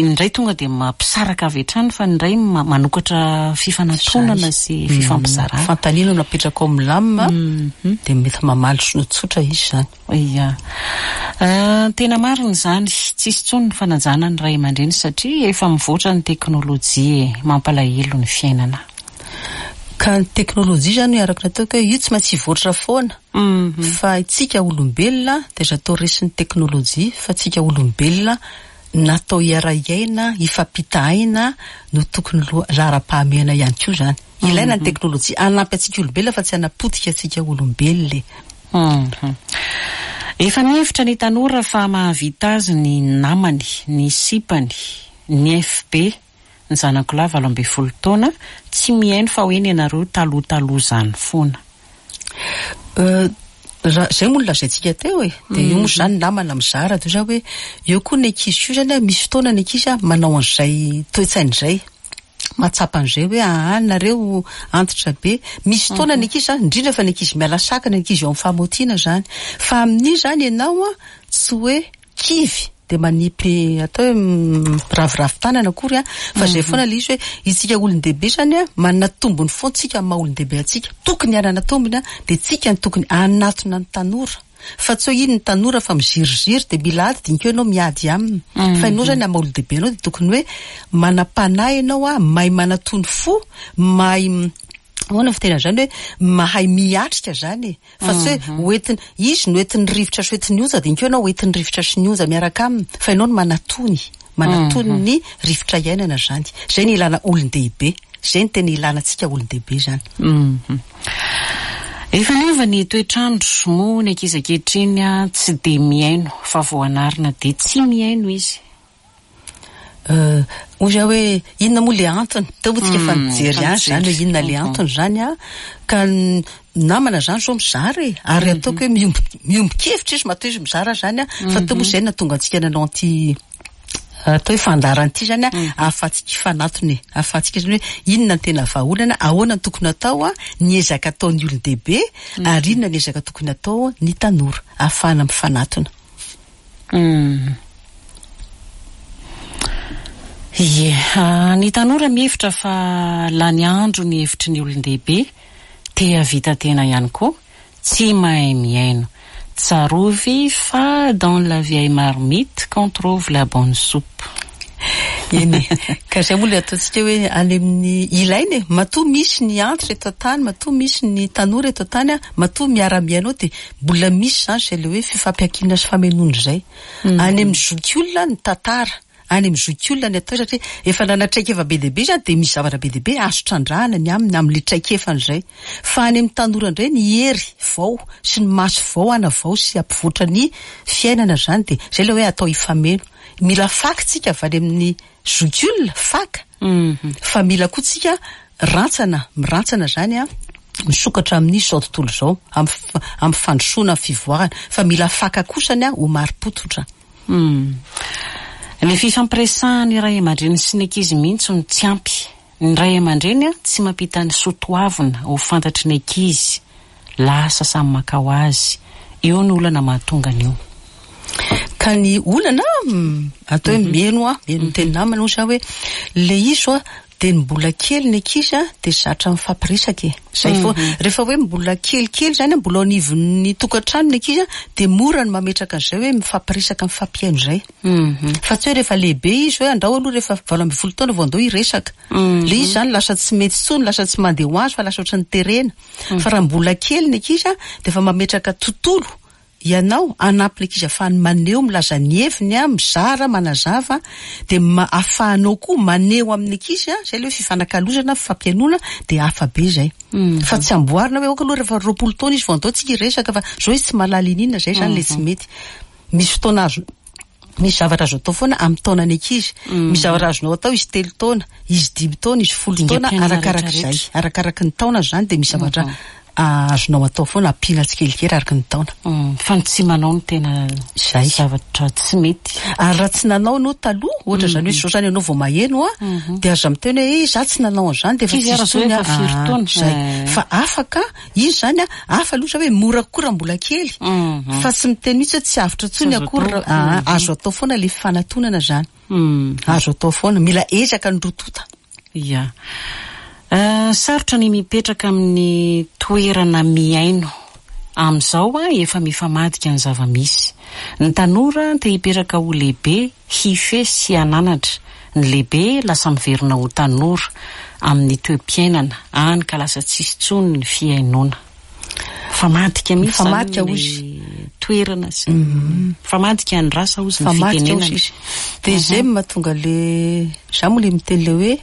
ny iray tonga dia mampisaraka avy hatrany fa ny iray manokatra fifanatonana sy fifampizarana. Fanontaniana no apetraka ao milamina dia mety mamaly tsotra izy izany. Ia. Tena marina izany. Tsisy intsony ny fanajana ny ray aman-dreny satria efa mivoatra ny teknolojia e. Mampalahelo ny fiainana. Ka ny teknolojia izany araka ny ataoko hoe io tsy maintsy hivoatra foana fa isika olombelona dia aza atao resin'ny teknolojia fa tsika olombelona natao hiara-hiaina, hifampita aina no tokony laharam-pahamehana ihany koa izany. Ilaina ny teknolojia hanampy antsika olombelona fa tsy hanapotika antsika olombelona e. Efa mihevitra ny tanora fa mahavita azy ny namany, ny sipany, ny FB, ny zanako lahy 18 taona, tsy mihaino fa hoe nenareo taloha taloha zany foana. Raha izay moa no lazaintsika teo e, dia io moa izany namana mizara dia hoe eo koa ny ankizy koa izany misy fotoana ny ankizy manao an'izay toe-tsaina izay. Mahatsapa an'izay hoe aa nareo antitra be. Misy fotoana ny ankizy izany, indrindra fa ny ankizy miala sakana, ny ankizy eo amin'ny fahamotiana izany. Fa amin'io izany ianao tsy hoe kivy dia manipy atao hoe miraviravy tanana akory an, fa izay foana ilay izy hoe isika olon-dehibe izany an, manana tombony foana tsika amin'ny maha olon-dehibe antsika, tokony hanana tombony an, dia tsika no tokony hanatona ny tanora, fa tsy hoe iny ny tanora fa miziriziry dia mila ady dia iny koa ianao miady aminy, fa ianao izany amin'ny maha olon-dehibe anao dia tokony hoe manam-panahy ianao an, mahay manatony fo, mahay ahoana ny fitenenana izany hoe mahay miatrika izany e, fa tsy hoe hoentina, izy no entin'ny rivotra sy hoentin'ny onja dia iny koa ianao hoentin'ny rivotra sy ny onja miaraka aminy, fa ianao no manatony, manatony ny rivotra iainana izany. Izay no ilana olon-dehibe, izay no tena ilana antsika olon-dehibe izany. Efa niova ny toetr'andro, moa ny ankizy ankehitriny tsy dia mihaino fa vao anarina dia tsy mihaino izy. Hoy aho hoe inona moa le antony? Teo moa tsika efa nijery ihany izany hoe inona le antony izany an. Ka ny namana izany izao mizara e. Ary ataoko hoe miombon-kevitra izy matoa izy mizara izany an. Fa teo moa izay no nahatonga antsika nanao an'ity atao hoe fandaharana ity izany an, ahafahantsika hifanatona e. Ahafahantsika izany hoe inona no tena vahaolana, ahoana no tokony hatao an, ny ezaka ataon'ny olon-dehibe ary inona ny ezaka tokony hatao ny tanora ahafahana mifanatona. Humm. Ie, ny tanora mihevitra fa lany andro ny hevitry ny olon-dehibe, te hahavita tena ihany koa, tsy mahay mihaino. Tsarovy fa dans la vieille marmite qu'on trouve la bonne soupe. Eny e, ka izay moa ilay ataontsika hoe any amin'ny ilaina e, matoa misy ny antitra eto an-tany, matoa misy ny tanora eto an-tany, matoa miara-mihaino ao dia Mbola misy izany izay ilay hoe fifampiankinana sy famenoana izay. Any amin'ny zokiolona ny tantara. Any amin'ny zokiolona ny atao satria efa nanana traikefa be dia be izy dia misy zavatra be dia be azo trandrahana ny aminy amin'ilay traikefany izay. Fa any amin'ny tanora indray ny hery vao sy ny maso vao hanavao sy hampivoatra ny fiainana izany dia izay ilay hoe atao hifameno. Mila faka tsika avy any amin'ny zokiolona, faka, fa mila koa tsika rantsana, mirantsana izany an, misokatra amin'izao tontolo izao, amin'ny fandrosoana, amin'ny fivoarana. Fa mila faka kosany an, ho marim-pototra. Humm. Ny fifampiresahan'ny ray aman-dreny sy ny ankizy mihitsy no tsy ampy. Ny ray aman-dreny tsy mampita ny soa toavina ho fantatry ny ankizy. Lasa samy maka ho azy. Eo ny olana mahatonga an'io. Ka ny olana, atao hoe mino aho, mino ny teny namana hoy za hoe, le izy zao dia ny mbola kely ny ankizy a dia zatra mifampiresaka e. Zay foana. Rehefa hoe mbola kelikely zany a, mbola ao anivon'ny tokantrano ny ankizy a, dia mora ny mametraka an'izay hoe mifampiresaka, mifampihaino izay. Fa tsy hoe rehefa lehibe izy hoe andrao aloha rehefa 18 taona vao andao hiresaka. Le izy zany lasa tsy mety intsony, lasa tsy mandeha ho azy fa lasa ohatran'ny terena. Fa raha mbola kely ny ankizy a, dia efa mametraka tontolo Ianao, hanampy ny ankizy ahafahany maneho, milaza ny heviny, mizara, manazava, dia ahafahanao koa maneho amin'ny ankizy, izay ilay hoe fifanakalozana, fifampihainoana, dia hafa be izay. Fa tsy amboarina hoe ok aloha rehefa 20 taona izy vao andao tsika hiresaka fa izao izy tsy mahalala ininona, izay izany ilay tsy mety. Misy fotoana azo, misy zavatra azo atao foana amin'ny taonan'ny ankizy. Misy zavatra azonao atao izy telo taona, izy dimy taona, izy folo taona, arakarak'izay. Arakaraky ny taona izany dia misy zavatra azonao atao foana ampiana tsikelikely araka ny taona. Fa ny tsy manao no tena Izay. zavatra tsy mety. Ary raha tsy nanao ianao taloha, ohatra izany hoe izao izany ianao vao maheno an, dia aza miteny hoe eh za tsy nanao an'izany dia efa Kivy tsisy ary zao intsony efa firy aho. taona. Izay. Fa afaka, izy izany an, hafa aloha izao hoe mora kokoa raha mbola kely, fa tsy miteny mihitsy hoe tsy avotra intsony Tsy azo akory atao. raha, aa, azo atao foana ilay fanatonana izany. Azo atao foana, mila ezaka ny roa tonta. Ya. Sarotra ny mipetraka amin'ny toerana mihaino. Amin'izao efa mifamadika ny zava-misy. Ny tanora te hipetraka ho lehibe, hifehy sy hananatra. Ny lehibe lasa miverina ho tanora amin'ny toe-piainana, hany ka lasa tsisy intsony ny fihainoana. Mifamadika mihitsy izany ilay toerana sy ny mifamadika ny rasa hozy ny fitenenana. Izy. Dia izay no mahatonga le za moa le miteny le hoe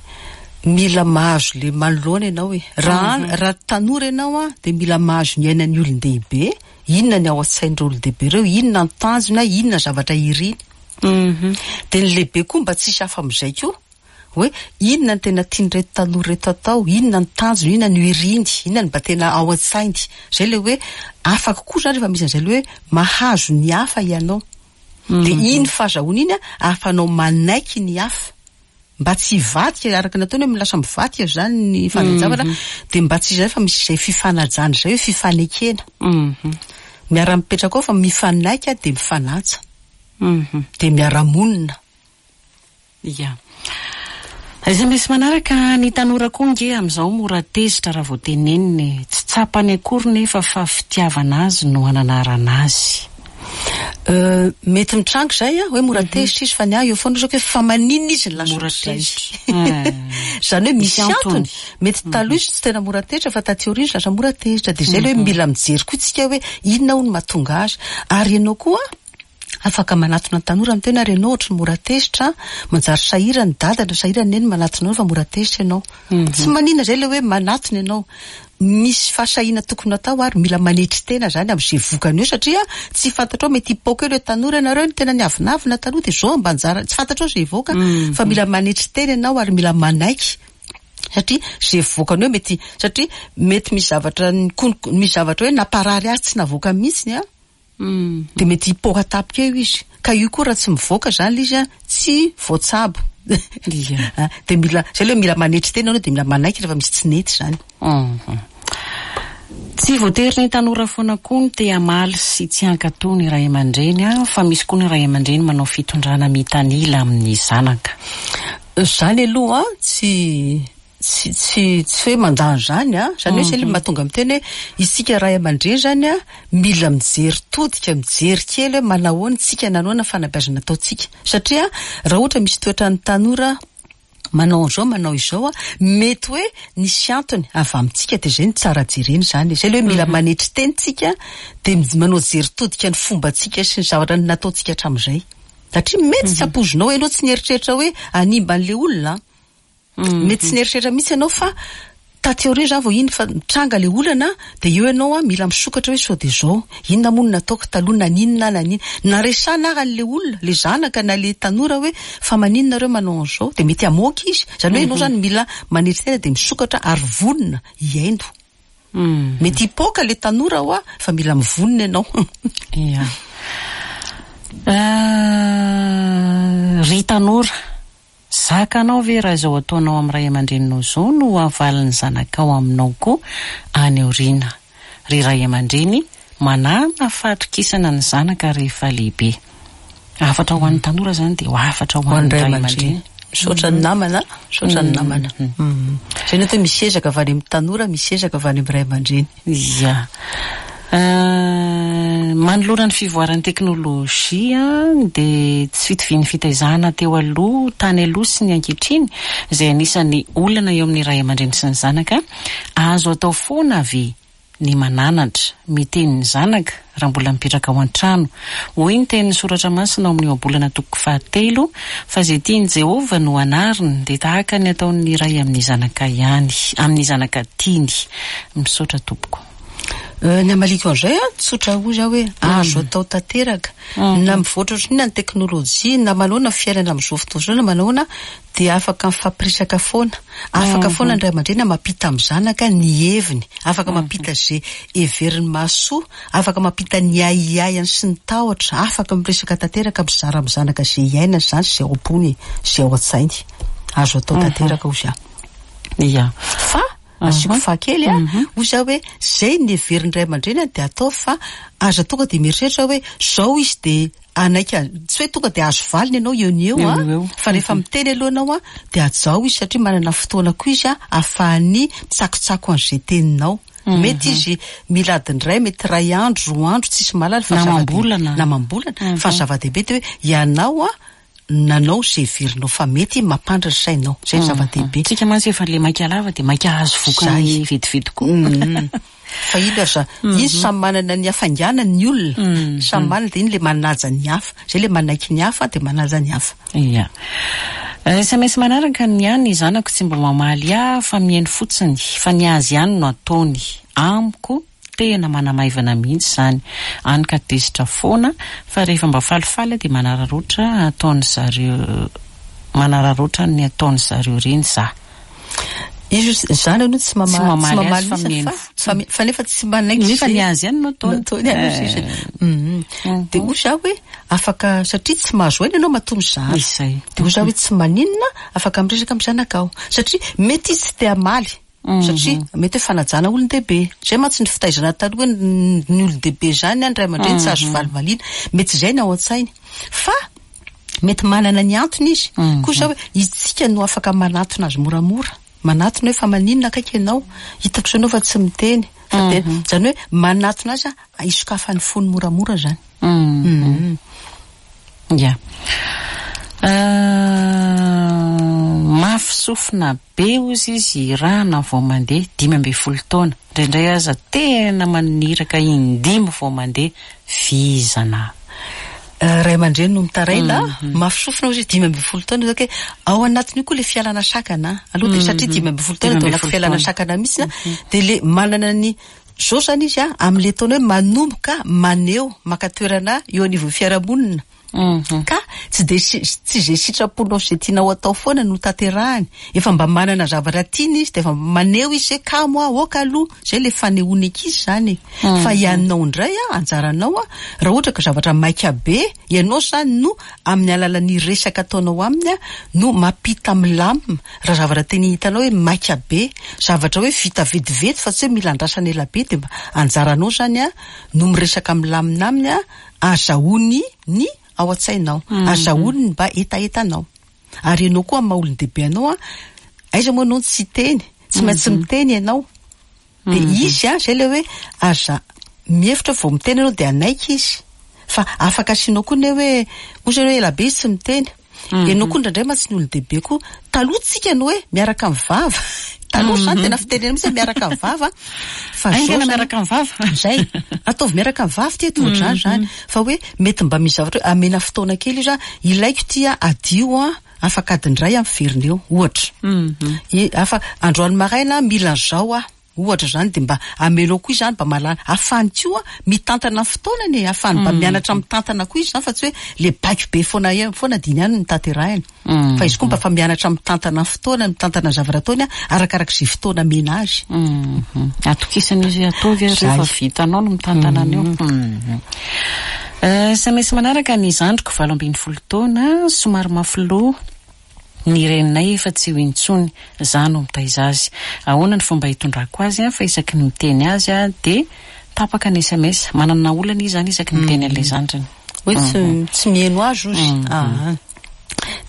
mila mahazo le manoloana ianao e. Raha raha tanora ianao a dia mila mahazo ny ainan'ny olon-dehibe, inona ny ao an-tsain'ireo olon-dehibe ireo, inona ny tanjona, inona ny zavatra iriny. Dia ny lehibe koa mba tsisy hafa amin'izay koa. Hoe inona no tena tian'ireto tanora ireto atao, inona ny tanjony, inona no iriny, inona no mba tena ao an-tsainy. Izay ilay hoe afaka koa izany rehefa misy an'izay ilay hoe mahazo ny hafa ianao. Dia iny fahazahoana iny ahafahanao manaiky ny hafa. Mba tsy hivadika, araka ny ataony hoe lasa mivadika izany ny fandehan-javatra, dia mba tsy izay fa misy izay fifanajana izay hoe fifanekena. Miara-mipetraka ao fa mifanaiky dia mifanaja. Dia miara-monina. Ia. Sms manaraka, ny tanora koa nge amin'izao mora tezitra raha vao tenenina e. Tsy tsapany akory nefa fa fitiavana azy no ananarana azy. Euh, mety mitranga izay an, hoe mora tezitra izy fa ny ahy eo foana hoe fa maninona izy no lasa Mora ohatr'izay. tezitra. Izany hoe misy Misy antony. antony. Mety taloha izy tsy tena mora tezitra fa taty aoriana izy lasa mora tezitra. Dia izay ilay hoe mila mijery koa tsika hoe inona hono mahatonga azy. Ary ianao koa Afaka manatona ny tanora miteny ary ianao ohatry ny mora tezitra an, manjary sahirana i dada na sahirana i neny manatona anao fa mora tezitra ianao. Tsy maninona izay ilay hoe manatona ianao. Misy fahasahiana tokony atao ary mila manetry tena izany amin'izay vokany eo satria tsy fantatrao mety hipoaka eo ilay tanora ianareo no tena niavonavona taloha dia izao mba anjara, tsy fantatrao izay hivoaka fa mila manetry tena ianao ary mila manaiky satria izay vokany eo mety satria mety misy zavatra nikono- misy zavatra hoe namparary azy tsy navoaka mihitsy an. Dia mety hipoaka tampoka eo izy. Ka io koa raha tsy mivoaka izany ilay izy an, tsy voatsabo. Ia. Dia mila, izay ilay hoe mila manetry tena ianao dia mila manaiky rehefa misy tsy nety izany. Tsy voatery ny tanora foana koa no te hamaly sy tsy hankatò ny ray aman-dreny an, fa misy koa ny ray aman-dreny manao fitondrana mitanila amin'ny zanaka. Izany aloha an, tsy Tsy tsy tsy hoe mandà an'izany an, izany hoe izay ilay mahatonga miteny hoe isika ray aman-dreny izany an, mila mijery todika, mijery kely hoe manahoana isika, nanahoana ny fanabeazana ataontsika. Satria raha ohatra misy toetran'ny tanora manao an'izao, manao izao an, mety hoe nisy antony avy amintsika dia izay no tsara jerena izany. Izay ilay hoe mila manetry tena isika dia manao jery todika ny fombantsika sy ny zavatra nataontsika hatramin'izay. Satria mety tsy ampoizinao, ianao tsy nieritreritra hoe hanimba an'ilay olona an. Mety tsy nieritreritra mihitsy ianao fa taty aoriana izany vao iny fa mitranga ilay olana dia eo ianao an mila misokatra hoe sao dia izao, inona moa no nataoko taloha, naninona aho, naninona. Na resahana ary an'ilay olona, ilay zanaka na ilay tanora hoe fa maninona nareo manao an'izao dia mety hamoaka izy. Izany hoe ianao izany mila manetry tena dia misokatra ary vonona hihaino. Mety hipoaka ilay tanora hoa fa mila mivonona ianao. Ia. Ry tanora, zakanao ve raha izao ataonao amin'ny ray aman-dreninao izao no havalin'ny zanakao aminao koa any aoriana? Ry ray aman-dreny, manàna fahatokisana ny zanaka rehefa lehibe. Hafatra ho an'ny tanora izany dia hafatra ho an'ny ray aman-dreny. Misaotra ny namana, misaotra ny namana. Izay no atao hoe misy ezaka avy any amin'ny tanora, misy ezaka avy any amin'ny ray aman-dreny. Ia. Manoloana ny fivoaran'ny teknolojia dia tsy fitovian'ny fitaizana teo aloha, tany aloha sy ny ankehitriny, izay anisan'ny olana eo amin'ny ray aman-dreny sy ny zanaka, azo atao foana ve ny mananatra, miteny ny zanaka raha mbola mipetraka ao an-trano. Hoy ny tenin'ny Soratra Masina ao amin'ny Ohabolana toko fahatelo, Fa izay tian'i Jehovah no anariny, dia tahaka ny ataon'ny ray amin'ny zanaka ihany, amin'ny zanaka tiany. Misaotra tompoko. Ny hamaliako an'izay an, tsotra hozy aho hoe azo atao tanteraka. Na mivoatra ohatrinona ny teknolojia, na manahoana ny fiainana amin'izao fotoana izao, na manahoana, dia afaka mifampiresaka foana, afaka foana ny ray aman-dreny mampita amin'ny zanaka ny heviny, afaka mampita izay heveriny mahasoa, afaka mampita ny ahiahiny sy ny tahotra, afaka miresaka tanteraka mizara amin'ny zanaka izay iainany izany sy izay ao am-pony, izay ao an-tsainy. Azo atao tanteraka hozy aho. Ia. Fa asiako faha kely a, hozy aho hoe izay ny heverin'ny ray aman-dreny dia ataovy fa aza tonga dia mieritreritra hoe izao izy dia hanaiky an, tsy hoe tonga dia azo valiny ianao eo no eo an, fa rehefa miteny aloha ianao an, dia hajao izy satria manana fotoana koa izy an, ahafahany mitsakotsako an'izay teninao. Mety izy mila adiny iray, mety iray andro, roa andro, tsisy mahalala fa Na amam-bolana. Na amam-bolana, fa ny zava-dehibe dia hoe ianao an, nanao izay heverinao fa mety mampandry ny sainao. Izay no zava-dehibe. Tsika mantsy efa le maika lava dia maika hahazo vokany vetivety koa. Fa iny aza, iny samy manana ny hafainganany ny olona, samy manana dia iny le manaja ny hafa, zay le manaiky ny hafa dia manaja ny hafa. Ia. Sms manaraka ny ahy ny zanako tsy mba mamaly ahy fa mihaino fotsiny fa ny azy ihany no ataony. Amiko tena manamaivana mihitsy izany. Any ka tezitra foana fa rehefa mba falifaly aho dia manararaotra ataony zareo manararaotra ny ataony zareo ireny za. Izy izany aloha tsy mamaly tsy mamaly azy fa mihaino fotsiny fa nefa tsy manaiky nefa ny azy ihany no ataony ataony ihany no sisa. Dia hoy za hoe afaka satria tsy mahazo aina ianao matoa mizara. Izay. Dia hoy za hoe tsy maninona afaka miresaka amin'ny zanakao satria mety izy tsy te hamaly satria mety hoe fanajana olon-dehibe. Izay mantsy ny fitaizana taloha hoe ny olon-dehibe izany ny ray aman-dreny tsy azo valivaliana. Mety izay ny ao an-tsainy. Fa Mety manana ny antony izy. Koa izao hoe isika no afaka manatona azy moramora. Manatona hoe fa maninona akaiky ianao? Hitako izao ianao fa tsy miteny. Fa dia izany hoe manatona azy hisokafan'ny fony moramora izany. Ya. Mafy sofina be hozy izy irahana vao mandeha, 15 taona. Indraindray aza tena maniraka indimy vao mandeha, vizana. Ray aman-dreny no mitaraina, mafy sofina hozy izy 15 taona zao kay, ao anatin'io koa le fialana sakana, aloha dia satria 15 taona dia ao anaty fialana sakana mihitsy an, dia le manana ny zao zany izy an, amin'le taona hoe manomboka maneho, maka toerana eo anivon'ny fiarahamonina, ka tsy dia tsy izay sitraponao sy izay tianao atao foana no tanterahiny, efa mba manana zavatra tiany izy dia efa maneho izy hoe kamo aho, aoka aloha, zay le fanehoana ankizy zany e. Fa ianao indray an, anjaranao an, raha ohatra ka zavatra maika be, ianao zany no amin'ny alalan'ny resaka ataonao aminy an, no mampita milamina, raha zavatra tena hitanao hoe maika be, zavatra hoe vita vetivety fa tsy hoe mila andrasana ela be dia mba anjaranao zany an, no miresaka milamina aminy an, azahoany ny ao an-tsainao, azahoany ny mba hetahetanao. Ary ianao koa amin'ny maha olon-dehibe anao an, aiza moa ianao no tsy hiteny, tsy maintsy miteny ianao. Dia izy an, izay ilay hoe aza mihevitra vao miteny ianao dia hanaiky izy. Fa afaka asianao koa ny hoe, ohatra hoe ela be izy tsy miteny. Ianao koa indraindray mantsy ny olon-dehibe koa, taloha tsika ny hoe miaraka amin'ny vava. Taloha izany tena fitenena mihitsy hoe miaraka amin'ny vava. Fa zao Haingana zany miaraka amin'ny vava. Zay. Ataovy miaraka amin'ny vava ity eto ohatr'izany izany. Fa hoe mety mba misy zavatra hoe amena fotoana kely izy, ilaiko ity adio an, afaka adiny iray aho miverina eo, ohatra. I, afa, androany maraina mila an'izao aho. Ohatra izany dia mba amelao koa izany mba mahalala ahafahany koa mitantana ny fotoanany e, ahafahany mba mianatra mitantana koa izy izany fa tsy hoe le baiko be foana foana dia iny ihany no tanterahina. Fa izy koa mba efa mianatra mitantana ny fotoanany, mitantana ny zavatra ataony arakaraka izay fotoana amena azy. Atokisana izy ataovy ary rehefa vitanao no mitantana an'io. Sms manaraka ny zandriko 18 taona, somary mafy loha. Ny reninay efa tsy eo intsony, za no mitaiza azy. Ahoana ny fomba hitondrako azy fa isaky ny miteny azy aho dia tapaka ny sms. Manana olana izy zany isaky ny miteny an'ilay zandriny. Hoe tsy tsy miheno azy ozy. Aa.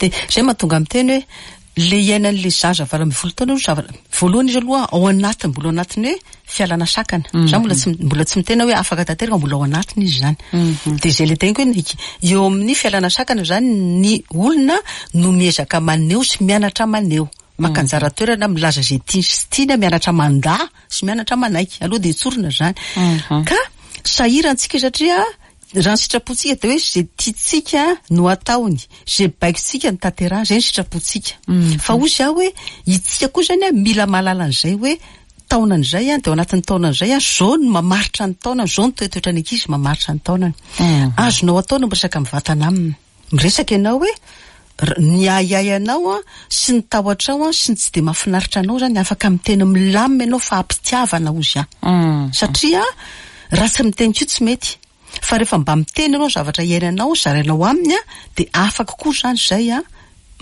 Dia izay mahatonga miteny hoe le iainan'le zaza 18 taona aloha zavatra, voalohany izy aloha ao anatiny, mbola ao anatin'ny hoe fialana sakana. Za mbola tsy mbola tsy miteny hoe afaka tanteraka, mbola ao anatiny izy zany. Dia izay le teniko hoe eo amin'ny fialana sakana zany ny olona no miezaka maneho sy mianatra maneho. Maka anjara toerana milaza izay tiany sy tsy tiany, mianatra mandà sy mianatra manaiky. Aloha dia tsorina zany. Ka sahirantsika satria raha ny sitrapontsika dia hoe izay tiantsika no ataony, izay baikontsika no tanterahiny, izay ny sitrapontsika. Fa hoy izaho hoe itsika koa zany mila mahalala an'izay hoe taonany izay an, dia ao anatin'ny taonany izay an, izao no mamaritra ny taonany, izao no toetoetran'ny ankizy mamaritra ny taonany. Azonao atao ny miresaka mivantana aminy. Miresaka ianao hoe ny ahiahy anao an, sy ny tahotrao an, sy ny tsy dia mahafinaritra anao izany, afaka miteny milamina ianao fa am-pitiavana hozy aho. Satria raha tsy miteny koa tsy mety. Fa rehefa mba miteny ianao ny zavatra iainanao, zarainao aminy an, dia afaka koa izany izay an,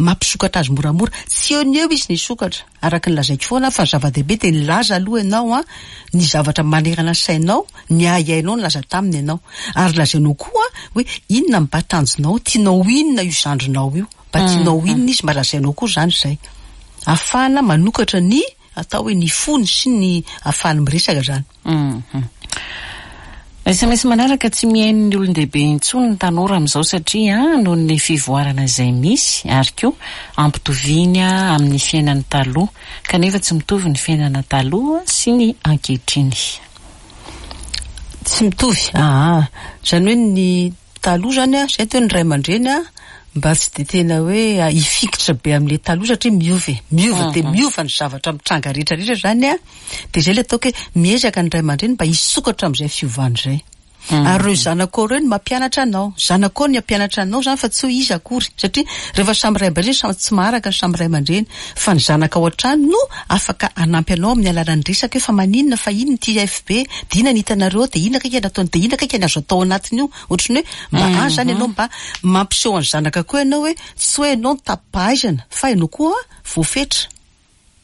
mampisokatra azy moramora. Tsy eo ny eo izy ny hisokatra, araka ny lazaiko foana fa ny zava-dehibe dia nilaza aloha ianao an, ny zavatra manerana ny sainao, ny ahiahinao nilaza taminy ianao. Ary lazainao koa hoe inona no mba tanjonao, tianao ho inona io zandrinao io, mba tianao ho inona izy, mba lazainao koa izany izay. Ahafahana manokatra ny atao hoe ny fony sy ny ahafahany miresaka izany. Sms manaraka, tsy mihaino ny olon-dehibe intsony ny tanora amin'izao satria noho ny fivoarana izay misy ary koa ampitoviany amin'ny fiainany taloha kanefa tsy mitovy ny fiainana taloha sy ny ankehitriny. Tsy mitovy, aa. Izany hoe ny taloha izany an, izay toy ny ray aman-dreny an, mba tsy dia tena hoe hifikitra be amin'ilay taloha satria miova e. Miova dia miova ny zavatra mitranga rehetra rehetra izany an. Dia izay ilay ataoko hoe miezaka ny ray aman-dreny mba hisokatra amin'izay fiovana izay. Ary ireo zanakao ireo no mampianatra anao. Zanakao no hampianatra anao izany fa tsy hoe iza akory. Satria rehefa samy ray aman-dreny, samy tsy maharaka ny samy ray aman-dreny. Fa ny zanakao hatrany no afaka hanampy anao amin'ny alalan'ny resaka hoe fa maninona, fa inona ity FB, dia inona ny hitanareo ao, dia inona akaiky ny ataony, dia inona akaiky ny azo atao anatin'io. Ohatran'ny hoe mba any izany ianao mba mampiseho an'ny zanaka koa ianao hoe tsy hoe ianao no tapi-pahaizana fa ianao koa voafetra.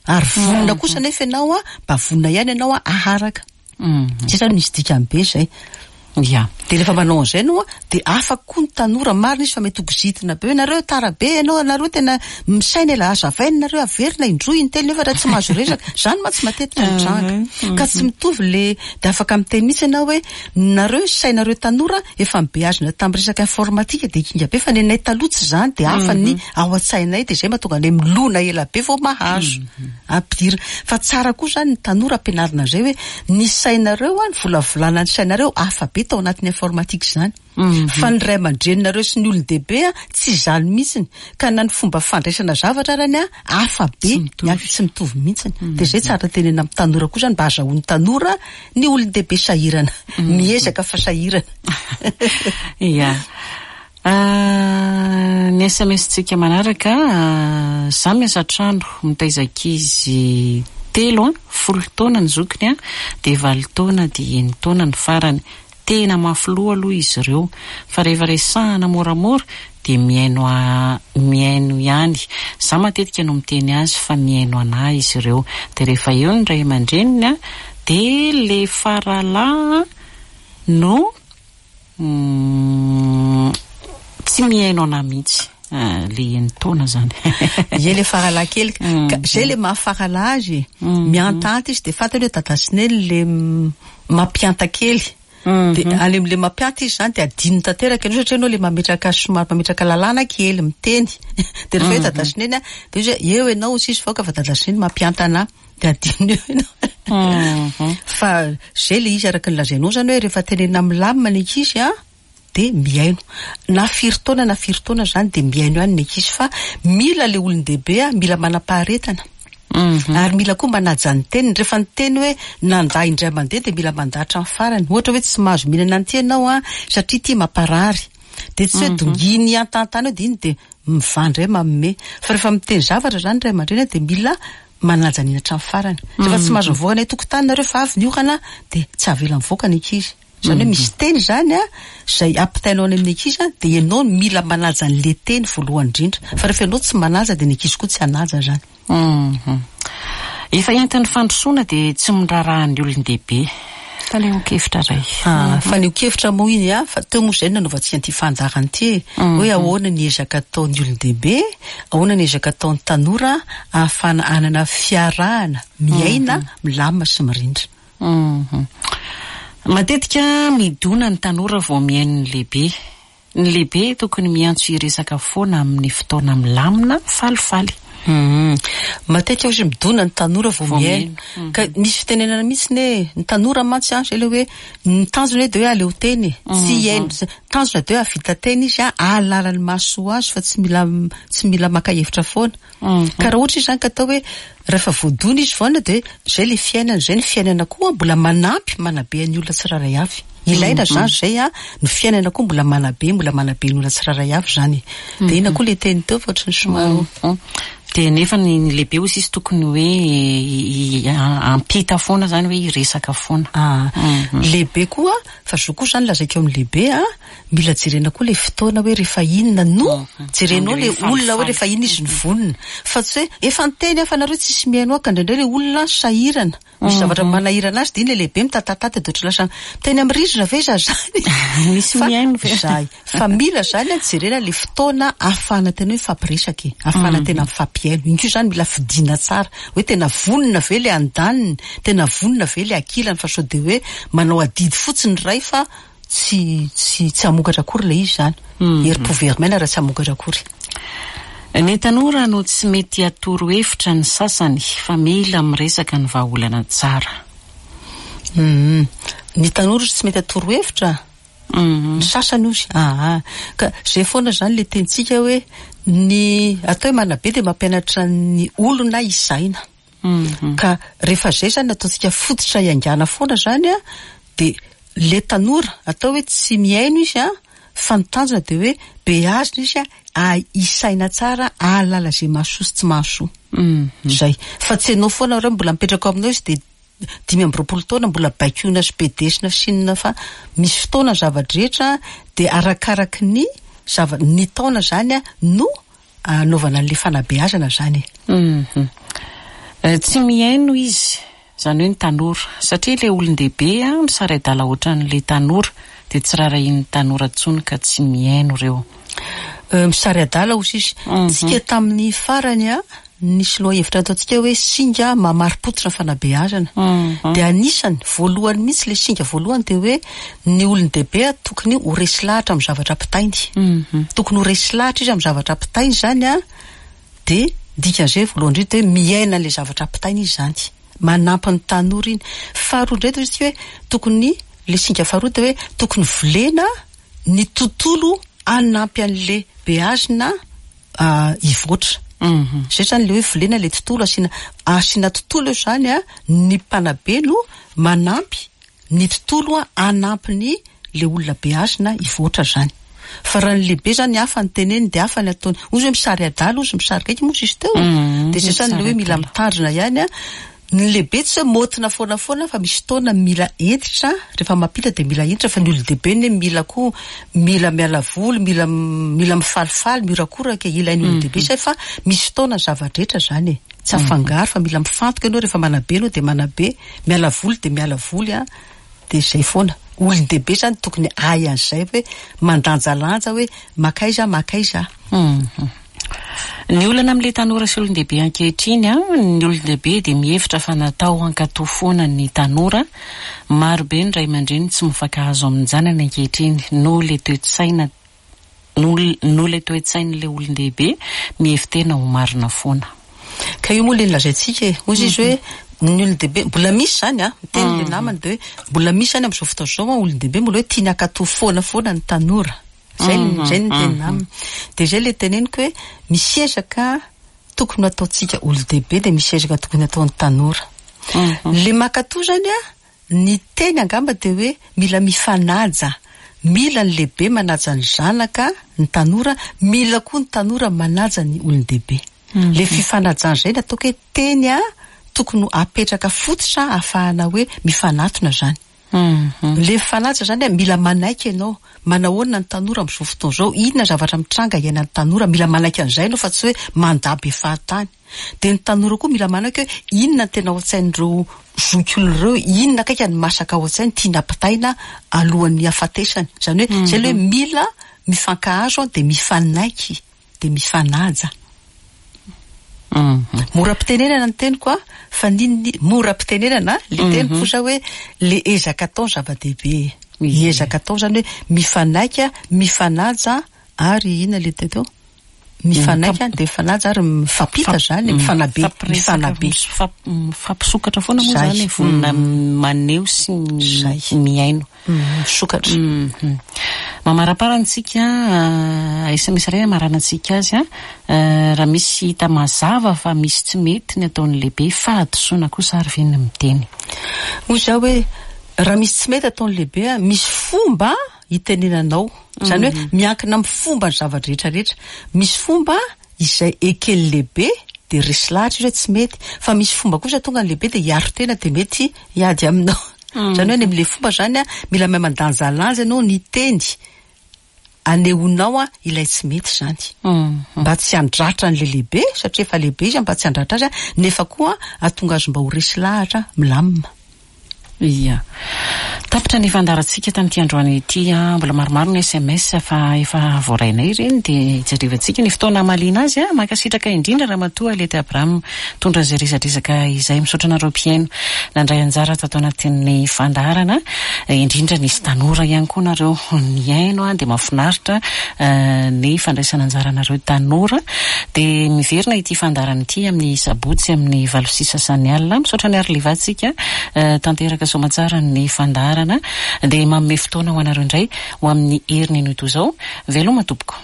Ary vonona kosa nefa ianao an, mba vonona ihany ianao an aharaka. Zay zany misy dikany be zay. Ya. Dia rehefa manao an'izay ianao an, dia afaka koa ny tanora, marina izy fa mety ho kizitina be hoe nareo tara be ianao, nareo tena misaina ela, hazavaina nareo, averina indroa, intelo nefa raha tsy mahazo resaka. Zany mantsy matetika mitranga. Ka tsy mitovy le, dia afaka miteny mihitsy ianao hoe nareo ny sainareo tanora efa nibeazina tamin'ny resaka informatika dia kinga be fa nenay taloha tsy izany dia hafa ny ao an-tsainay dia izay mahatonga anay milona ela be vao mahazo ampidirina. Fa tsara koa izany ny tanora ampianarina an'izay hoe ny sainareo an, ny volavolana ny sainareo hafa be tao anatin'ny informatika izany. Fa ny ray aman-dreninareo sy ny olon-dehibe an, tsy izany mihitsiny. Ka na ny fomba fandraisana zavatra arany an, hafa be, ny hafa tsy mitovy mihitsiny. Dia izay tsara tenenina amin'ny tanora koa izany mba azahoan'ny tanora ny olon-dehibe sahirana. Miezaka fa sahirana. Ia. Ny SMS-tsika manaraka, Za miasa trano, mitaiza ankizy telo an, folo taona ny zokiny an, dia valo taona dia enin-taona ny farany. Tena mafy loha aloha izy ireo, fa rehefa resahana moramora dia mihaino mihaino ihany. Za matetika no miteny azy fa mihaino anah izy ireo. Dia rehefa eo ny ray aman-dreniny an, dia le faralahy no Tsy mihaino anah mihitsy le enin-taona zany. Ie le faralahy kely ka zay le maha faralahy azy e. Miantahanta izy de fantany hoe dada sy neny le mampihanta kely. Dia any amin'ilay mampianta izy izany dia adinony tanteraka ianao satria ianao ilay mametraka somary mametraka lalàna kely miteny. Dia rehefa eo dada sy neny dia izy hoe eo ianao hoy izy fa dada sy neny mampianta anà. Dia adinony eo ianao. Fa izay ilay izy araka ny lazainao izany hoe rehefa tenenina milamina ny ankizy an, dia mihaino. Na firy taona na firy taona izany dia mihaino ihany ny ankizy fa mila ilay olon-dehibe an, mila manam-paharetana. Ary mila koa manaja ny teniny. Rehefa niteny hoe nandà indray mandeha dia mila mandà hatramin'ny farany. Ohatra hoe tsy mahazo mihinana an'ity ianao an, satria ity mamparary. Dia tsy hoe donginy hiantantana eo dia iny dia mivaha indray manome. Fa rehefa miteny zavatra izany ny ray aman-dreny dia mila manaja an'iny hatramin'ny farany. Rehefa tsy mahazo mivoaka any an-tokotany nareo fa avy ny orana dia tsy avela mivoaka ny ankizy. Izany hoe misy teny izany an, izay ampitainao any amin'ny ankizy an, dia ianao no mila manaja an'ilay teny voalohany indrindra. Fa rehefa ianao tsy manaja dia ny ankizy koa tsy hanaja izany. Hum. Efa entin'ny fandrosoana dia tsy miraharaha ny olon-dehibe. Fanehoan-kevitra iray. Ah, fanehoan-kevitra moa iny an, fa teo moa izay no nanaovantsika an'ity fandaharana ity e. Hoe ahoana ny ezaka ataon'ny olon-dehibe, ahoana ny ezaka ataon'ny tanora ahafahana hanana fiarahana miaina milamina sy mirindra. Hum. Matetika midona ny tanora vao mihaino ny lehibe. Ny lehibe tokony miantso hiresaka foana amin'ny fotoana milamina, falifaly. Hum. Matetika ozy midona ny tanora vao mihaino. Ka misy fitenenana mihitsy ne, ny tanora mantsy an, zay le hoe ny tanjona hoe de hoe aleo teny e. Tsy hihaino, tanjona de hoe hahavita teny izy an, ahalala ny mahasoa azy fa tsy mila tsy mila maka hevitra foana. Ka raha ohatra izy zany ka atao hoe rehefa voadona izy vaona dia zay le fiainana, zay ny fiainana koa mbola manampy manabe ny olona tsirairay avy. Ilaina zany zay an, ny fiainana koa mbola manabe, mbola manabe ny olona tsirairay avy zany e. Dia inona koa le teny teo fa ohatran'ny somary. Dia nefa ny lehibe hozy izy tokony hoe hampita foana zany hoe hiresaka foana. Ah, lehibe koa, fa zo koa zany lazaiko amin'ny lehibe an, Mila jerena koa le fotoana hoe rehefa inona no jerenao le olona hoe rehefa inona izy no vonona fa tsy hoe efa niteny aho fa nareo tsisy mihaino ahy ka indraindray le olona sahirana misy zavatra manahirana azy dia iny le lehibe mitatatata dia ohatry lasa miteny amin'ny rindrina ve za zany Misy mihaino ve? Zay fa mila zany an jerena le fotoana ahafahana tena hoe mifampiresaka e ahafahana tena mifampihaino iny koa zany mila fidina tsara hoe tena vonona ve le andaniny tena vonona ve le ankilany fa sao dia hoe manao adidy fotsiny ny iray fa Tsy tsy tsy hamokatra akory ilay izy izany. Herim-po very maina raha tsy hamokatra akory. Ny tanora no tsy mety atoro hevitra ny sasany fa mila miresaka ny vahaolana tsara. Humm. Ny tanora tsy mety atoro hevitra? Ny sasany ozy. Aa. Ka izay foana izany ilay tenintsika hoe ny atao hoe manabe dia mampianatra ny olona hisaina. Ka rehefa izay izany ataontsika fototra hiaingàna foana izany an, dia le tanora atao hoe tsy mihaino izy an, fa ny tanjona dia hoe beazina izy an, hisaina tsara, hahalala izay mahasoa sy tsy mahasoa. Izay. Fa tsy ianao foana raha mbola mipetraka ao aminao izy dia 25 taona mbola baikoina sy bedesina sy inona fa misy fotoana ny zava-drehetra dia arakaraky ny zava, ny taona izany an no anaovana an'ilay fanabeazana izany e. Hum. Tsy mihaino izy, izany hoe ny tanora. Satria ilay olon-dehibe misarai-dala ohatran'ilay tanora, dia tsy rarahian'ny tanora intsony ka tsy mihaino ireo. Misary adala hozy izy. Tsika tamin'ny farany an, nisy lohahevitra nataontsika hoe singa mamari-pototra ny fanabeazana. Dia anisany, voalohany mihitsy ilay singa voalohany dia hoe ny olon-dehibe tokony ho resy lahatra amin'ny zavatra ampitainy. Tokony ho resy lahatra izy amin'ny zavatra ampitainy izany an, dia dikan'izay voalohany indrindra dia hoe miaina an'ilay zavatra ampitainy izy izany. Manampy ny tanora iny. Faharoa indray dia hoy isika hoe tokony, ilay singa faharoa dia hoe tokony volena ny tontolo hanampy an'ilay beazina hivoatra. Zay zany le hoe volena le tontolo, asiana asiana tontolo eo zany an, ny mpanabe no manampy ny tontolo hanampy ny le olona beazina hivoatra zany. Fa raha ny lehibe zany hafa ny teneniny de hafa ny ataony. Ozy hoe misary adala ozy, misary gaigy moa izy teo. De zay zany le hoe mila mitandrina ihany an. Ny lehibe tsy hoe maotina foana foana fa misy fotoana mila hentitra, rehefa mampita dia mila hentitra fa ny olon-dehibe anie mila koa mila miala voly, mila mila mifalifaly, mihorakoraka e, ilain'ny olon-dehibe izay fa misy fotoana ny zava-drehetra izany e, tsy afangaro fa mila mifantoka ianao rehefa manabe ianao dia manabe, miala voly dia miala voly an, dia izay foana. Olon-dehibe izany tokony hahay an'izay hoe mandanjalanja hoe makaiza makaiza. Ny olana amin'ilay tanora sy olon-dehibe ankehitriny an, ny olon-dehibe dia mihevitra fa natao hankatò foana ny tanora, maro be ny ray aman-dreny tsy mifankahazo amin-janany ankehitriny noho ilay toe-tsaina noho ilay toe-tsain'ilay olon-dehibe mihevi-tena ho marina foana. Ka io moa ilay nolazaintsika e, hozy izy hoe ny olon-dehibe, mbola misy izany an, miteny ilay namany dia hoe mbola misy izany amin'izao fotoana izao an, olon-dehibe mbola hoe tiany hankatò foana foana ny tanora. Zay zay ny tenina aminy. Dia zay le teneniko hoe misy ezaka tokony ho ataontsika olon-dehibe dia misy ezaka tokony ataon'ny tanora. Le mankatò zany an, ny teny angamba dia hoe mila mifanaja, mila ny lehibe manaja ny zanaka, ny tanora, mila koa ny tanora manaja ny olon-dehibe. Le fifanajana zay no ataoko hoe teny tokony ho apetraka fototra ahafahana hoe mifanatona zany. Le mifanaja zany a, mila manaiky ianao, manahoana ny tanora amzao fotoana zao, inona zavatra mitranga iainan'ny tanora, mila manaiky an'izay ianao fa tsy hoe mandà be fahatany. De ny tanora koa mila manaiky hoe inona ny tena ao an-tsain'ireo zokiolona ireo, inona akaiky ny masaka ao an-tsainy tiana ampitaina alohan'ny hafatesany. Zany hoe zay le hoe mila mifankahazo de mifanaiky. dia mifanaja. Mora ampitenenana ny teniko a, fa n'inona mora ampitenenana le teniko fosa hoe le ezaka atao no zava-dehibe e. Ny ezaka atao zany hoe mifanaika, mifanaja ary inona le teo teo? Mifanaika dia mifanaja ary mifampita zany e, mifanabe, mifanabe. Mifampisokatra foana moa zany e, vonona maneho sy mihaino. Misokatra. Mamaraparana antsika, sms iray hamaranantsika azy an, raha misy hita mazava fa misy tsy mety ny ataon'ny lehibe, fahadisoana kosa ary ve ny miteny? Hoy izaho hoe, raha misy tsy mety ataon'ny lehibe an, misy fomba hitenenanao. Izany hoe miankina amin'ny fomba ny zava-drehetra rehetra. Misy fomba izay eken'ny lehibe dia resy lahatra izy hoe tsy mety, fa misy fomba kosa tonga ny lehibe dia hiaro tena dia mety hiady aminao. Izany hoe any amin'ilay fomba izany an, mila mahay mandanjalanja ianao ny teny anehoanao ilay tsy mety izany. Mba tsy handratra an'ilay lehibe satria efa lehibe izy mba tsy handratra azy nefa koa hahatonga azy mba ho resy lahatra milamina. Ia. Tapitra ny fandaharantsika tamin'ity androany ity. Mbola maromaro ny sms fa efa voarainay ireny dia hijerevantsika ny fotoana hamaliana azy. Mankasitraka indrindra Ramatoa Alety Abraham nitondra izay resadresaka izay. Misaotra anareo mpihaino nandray anjara tato anatin'ny fandaharana. Indrindra nisy tanora ihany koa nareo nihaino dia mahafinaritra ny fandraisana anjaranareo tanora. Dia miverina ity fandaharana ity amin'ny sabotsy amin'ny valo sy sasany alina. Misaotra an'i Arliva tsika tanteraka soamatsara ny fandaharana. Dia manome fotoana ho anareo indray ho amin'ny heriny anio toy izao. Veloma tompoko.